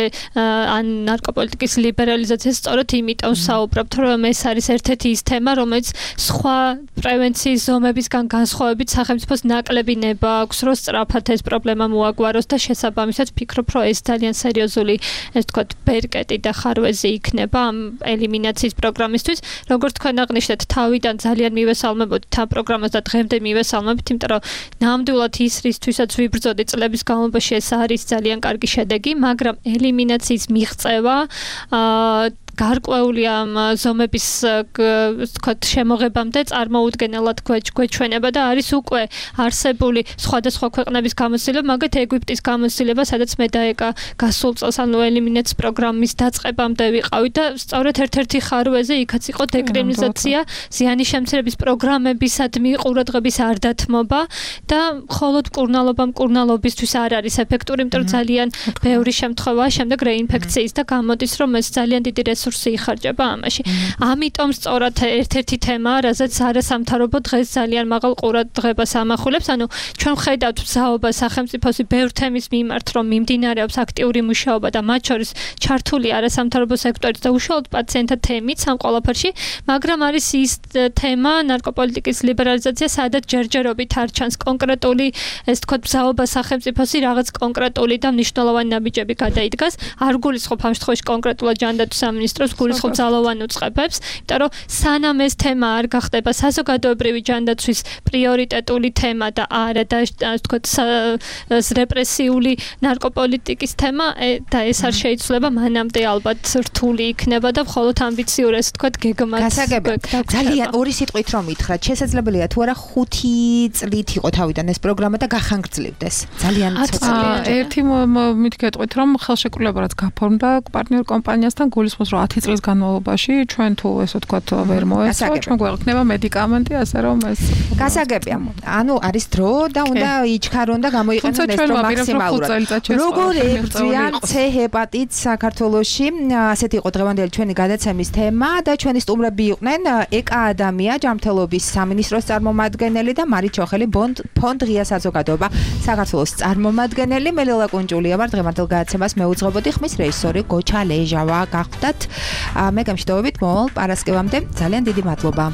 ან ნარკოპოლიტიკის ლიბერალიზაციაზე სწორედ იმიტომ საუბრობთ, რომ ეს არის ერთ-ერთი ის თემა, რომელიც სხვა პრევენციის ზომებისგან განსხვავებით სახელმწიფოს ნაკლები ნება აქვს, რომ სწრაფად ეს პრობლემა მოაგვაროს და შესაბამისად ვფიქრობ, რომ ეს ძალიან სერიოზული, ეს თქვათ, ბერკეტი და ხარვეზი იქნება ამ ელიმინაციის პროგრამისთვის. როგორც თქვენ აღნიშნეთ, თავიდან ძალიან მივესალმებოდით ამ პროგრამას და დღემდე მივესალმებით, იმიტომ რომ ნამდვილად ის რისთვისაც ვიბრძოდი წლების განმავლობაში ეს არის ძალიან კარგი შედეგი, მაგრამ ელიმინაციის მიღწევა გარკვეული ამ ზომების თქვათ შემოღებამდე წარმოუდგენელად გვეჩვენება და არის უკვე არსებული სხვადასხვა ქვეყნების გამოცდილება, მაგათ ეგვიპტის გამოცდილება, სადაც მე და ეკა გასულ წელს ანუ ელიმინაციის პროგრამის დაწყებამდე ვიყავით და სწორედ ერთ-ერთი ხარვეზე იქაც იყო დეკრიმინალიზაცია, ზიანის შემცირების პროგრამებისადმი ყურადღების არ დათმობა და მხოლოდ მკურნალობისთვის არ არის ეფექტური, იმიტომ რომ ძალიან ბევრი შემთხვევაა შემდეგ რეინფექციის და გამოდის, რომ ეს ძალიან დიდი რესურსი იხარჯება ამაში. ამიტომ სწორად ერთ-ერთი თემაა, რაზეც არასამთავრობო დღეს ძალიან მაღალ ყურადღებას ამახვილებს. ანუ ჩვენ ვხედავთ ბრძაობა სახელმწიფოსი ბევრ თემის მიმართ, რომ მიმდინარეობს აქტიური მუშაობა და მათ შორის ჩართული არასამთავრობო სექტორიც და უშუალოდ პაციენტთა თემით ამ ყველაფერში, მაგრამ არის ის თემა ნარკოპოლიტიკის ლიბერალიზაცია, სადაც ჯერჯერობით არ ჩანს კონკრეტული, ეს თქვა ბრძაობა სახელმწიფოსი რაღაც კონკრეტული და მნიშვნელოვანი ნაბიჯები გადაიდგას. არ გულისხმობ ამ შემთხვევაში კონკრეტულად ჯანდაცვის სამინისტროს, გულისხმობ ძალოვან უწყებებს, იმიტომ რომ სანამ ეს თემა არ გახდება საზოგადოებრივი ჯანდაცვის პრიორიტეტული თემა და არა და თქვა რეპრესიული ნარკოპოლიტიკის თემა და ეს არ შეიძლება, მანამდე ალბათ რთული იქნება და მხოლოდ ამბიციური ეს თქვა გეგმაც. ძალიან ორი სიტყვით რომ ითხრათ, შესაძლებელია თუ არა 5 წლით იყო თავიდან ეს პროგრამა და გახანგრძლივდეს. ძალიან ცოტაა. ერთი მითქეთყვით რომ ხელშეკრულება რაც გაფორმდა პარტნიორ კომპანიასთან გულისხმობს რომ 10 წლის განმავლობაში ჩვენ თუ ესე ვთქვათ ვერ მოეწყო, ჩვენ გვექნება медикаменти, ასე რომ ეს გასაგებია. ანუ არის დრო და უნდა იჩქარონ და გამოიყენონ ეს დრო მაქსიმალურად. როგორ ებრძვიან C ჰეპატიტს საქართველოში? ასეთი იყო დღევანდელი ჩვენი გადაცემის თემა და ჩვენი სტუმრები იყვნენ ეკა ადამია ჯანმრთელობის სამინისტროს წარმომადგენელი და მარით ჩოხელი ფონდ ღია საზოგადოება საქართველოს წარმომადგენელი. მე ლელა კუნჭულია ვარ, დღევანდელ გადაცემას მეუძღვებოდი, ხმის რეჟისორი გოჩა ლეჟავა. გახდათ მე გამშვიდობებით მომავალ პარასკევამდე. ძალიან დიდი მადლობა.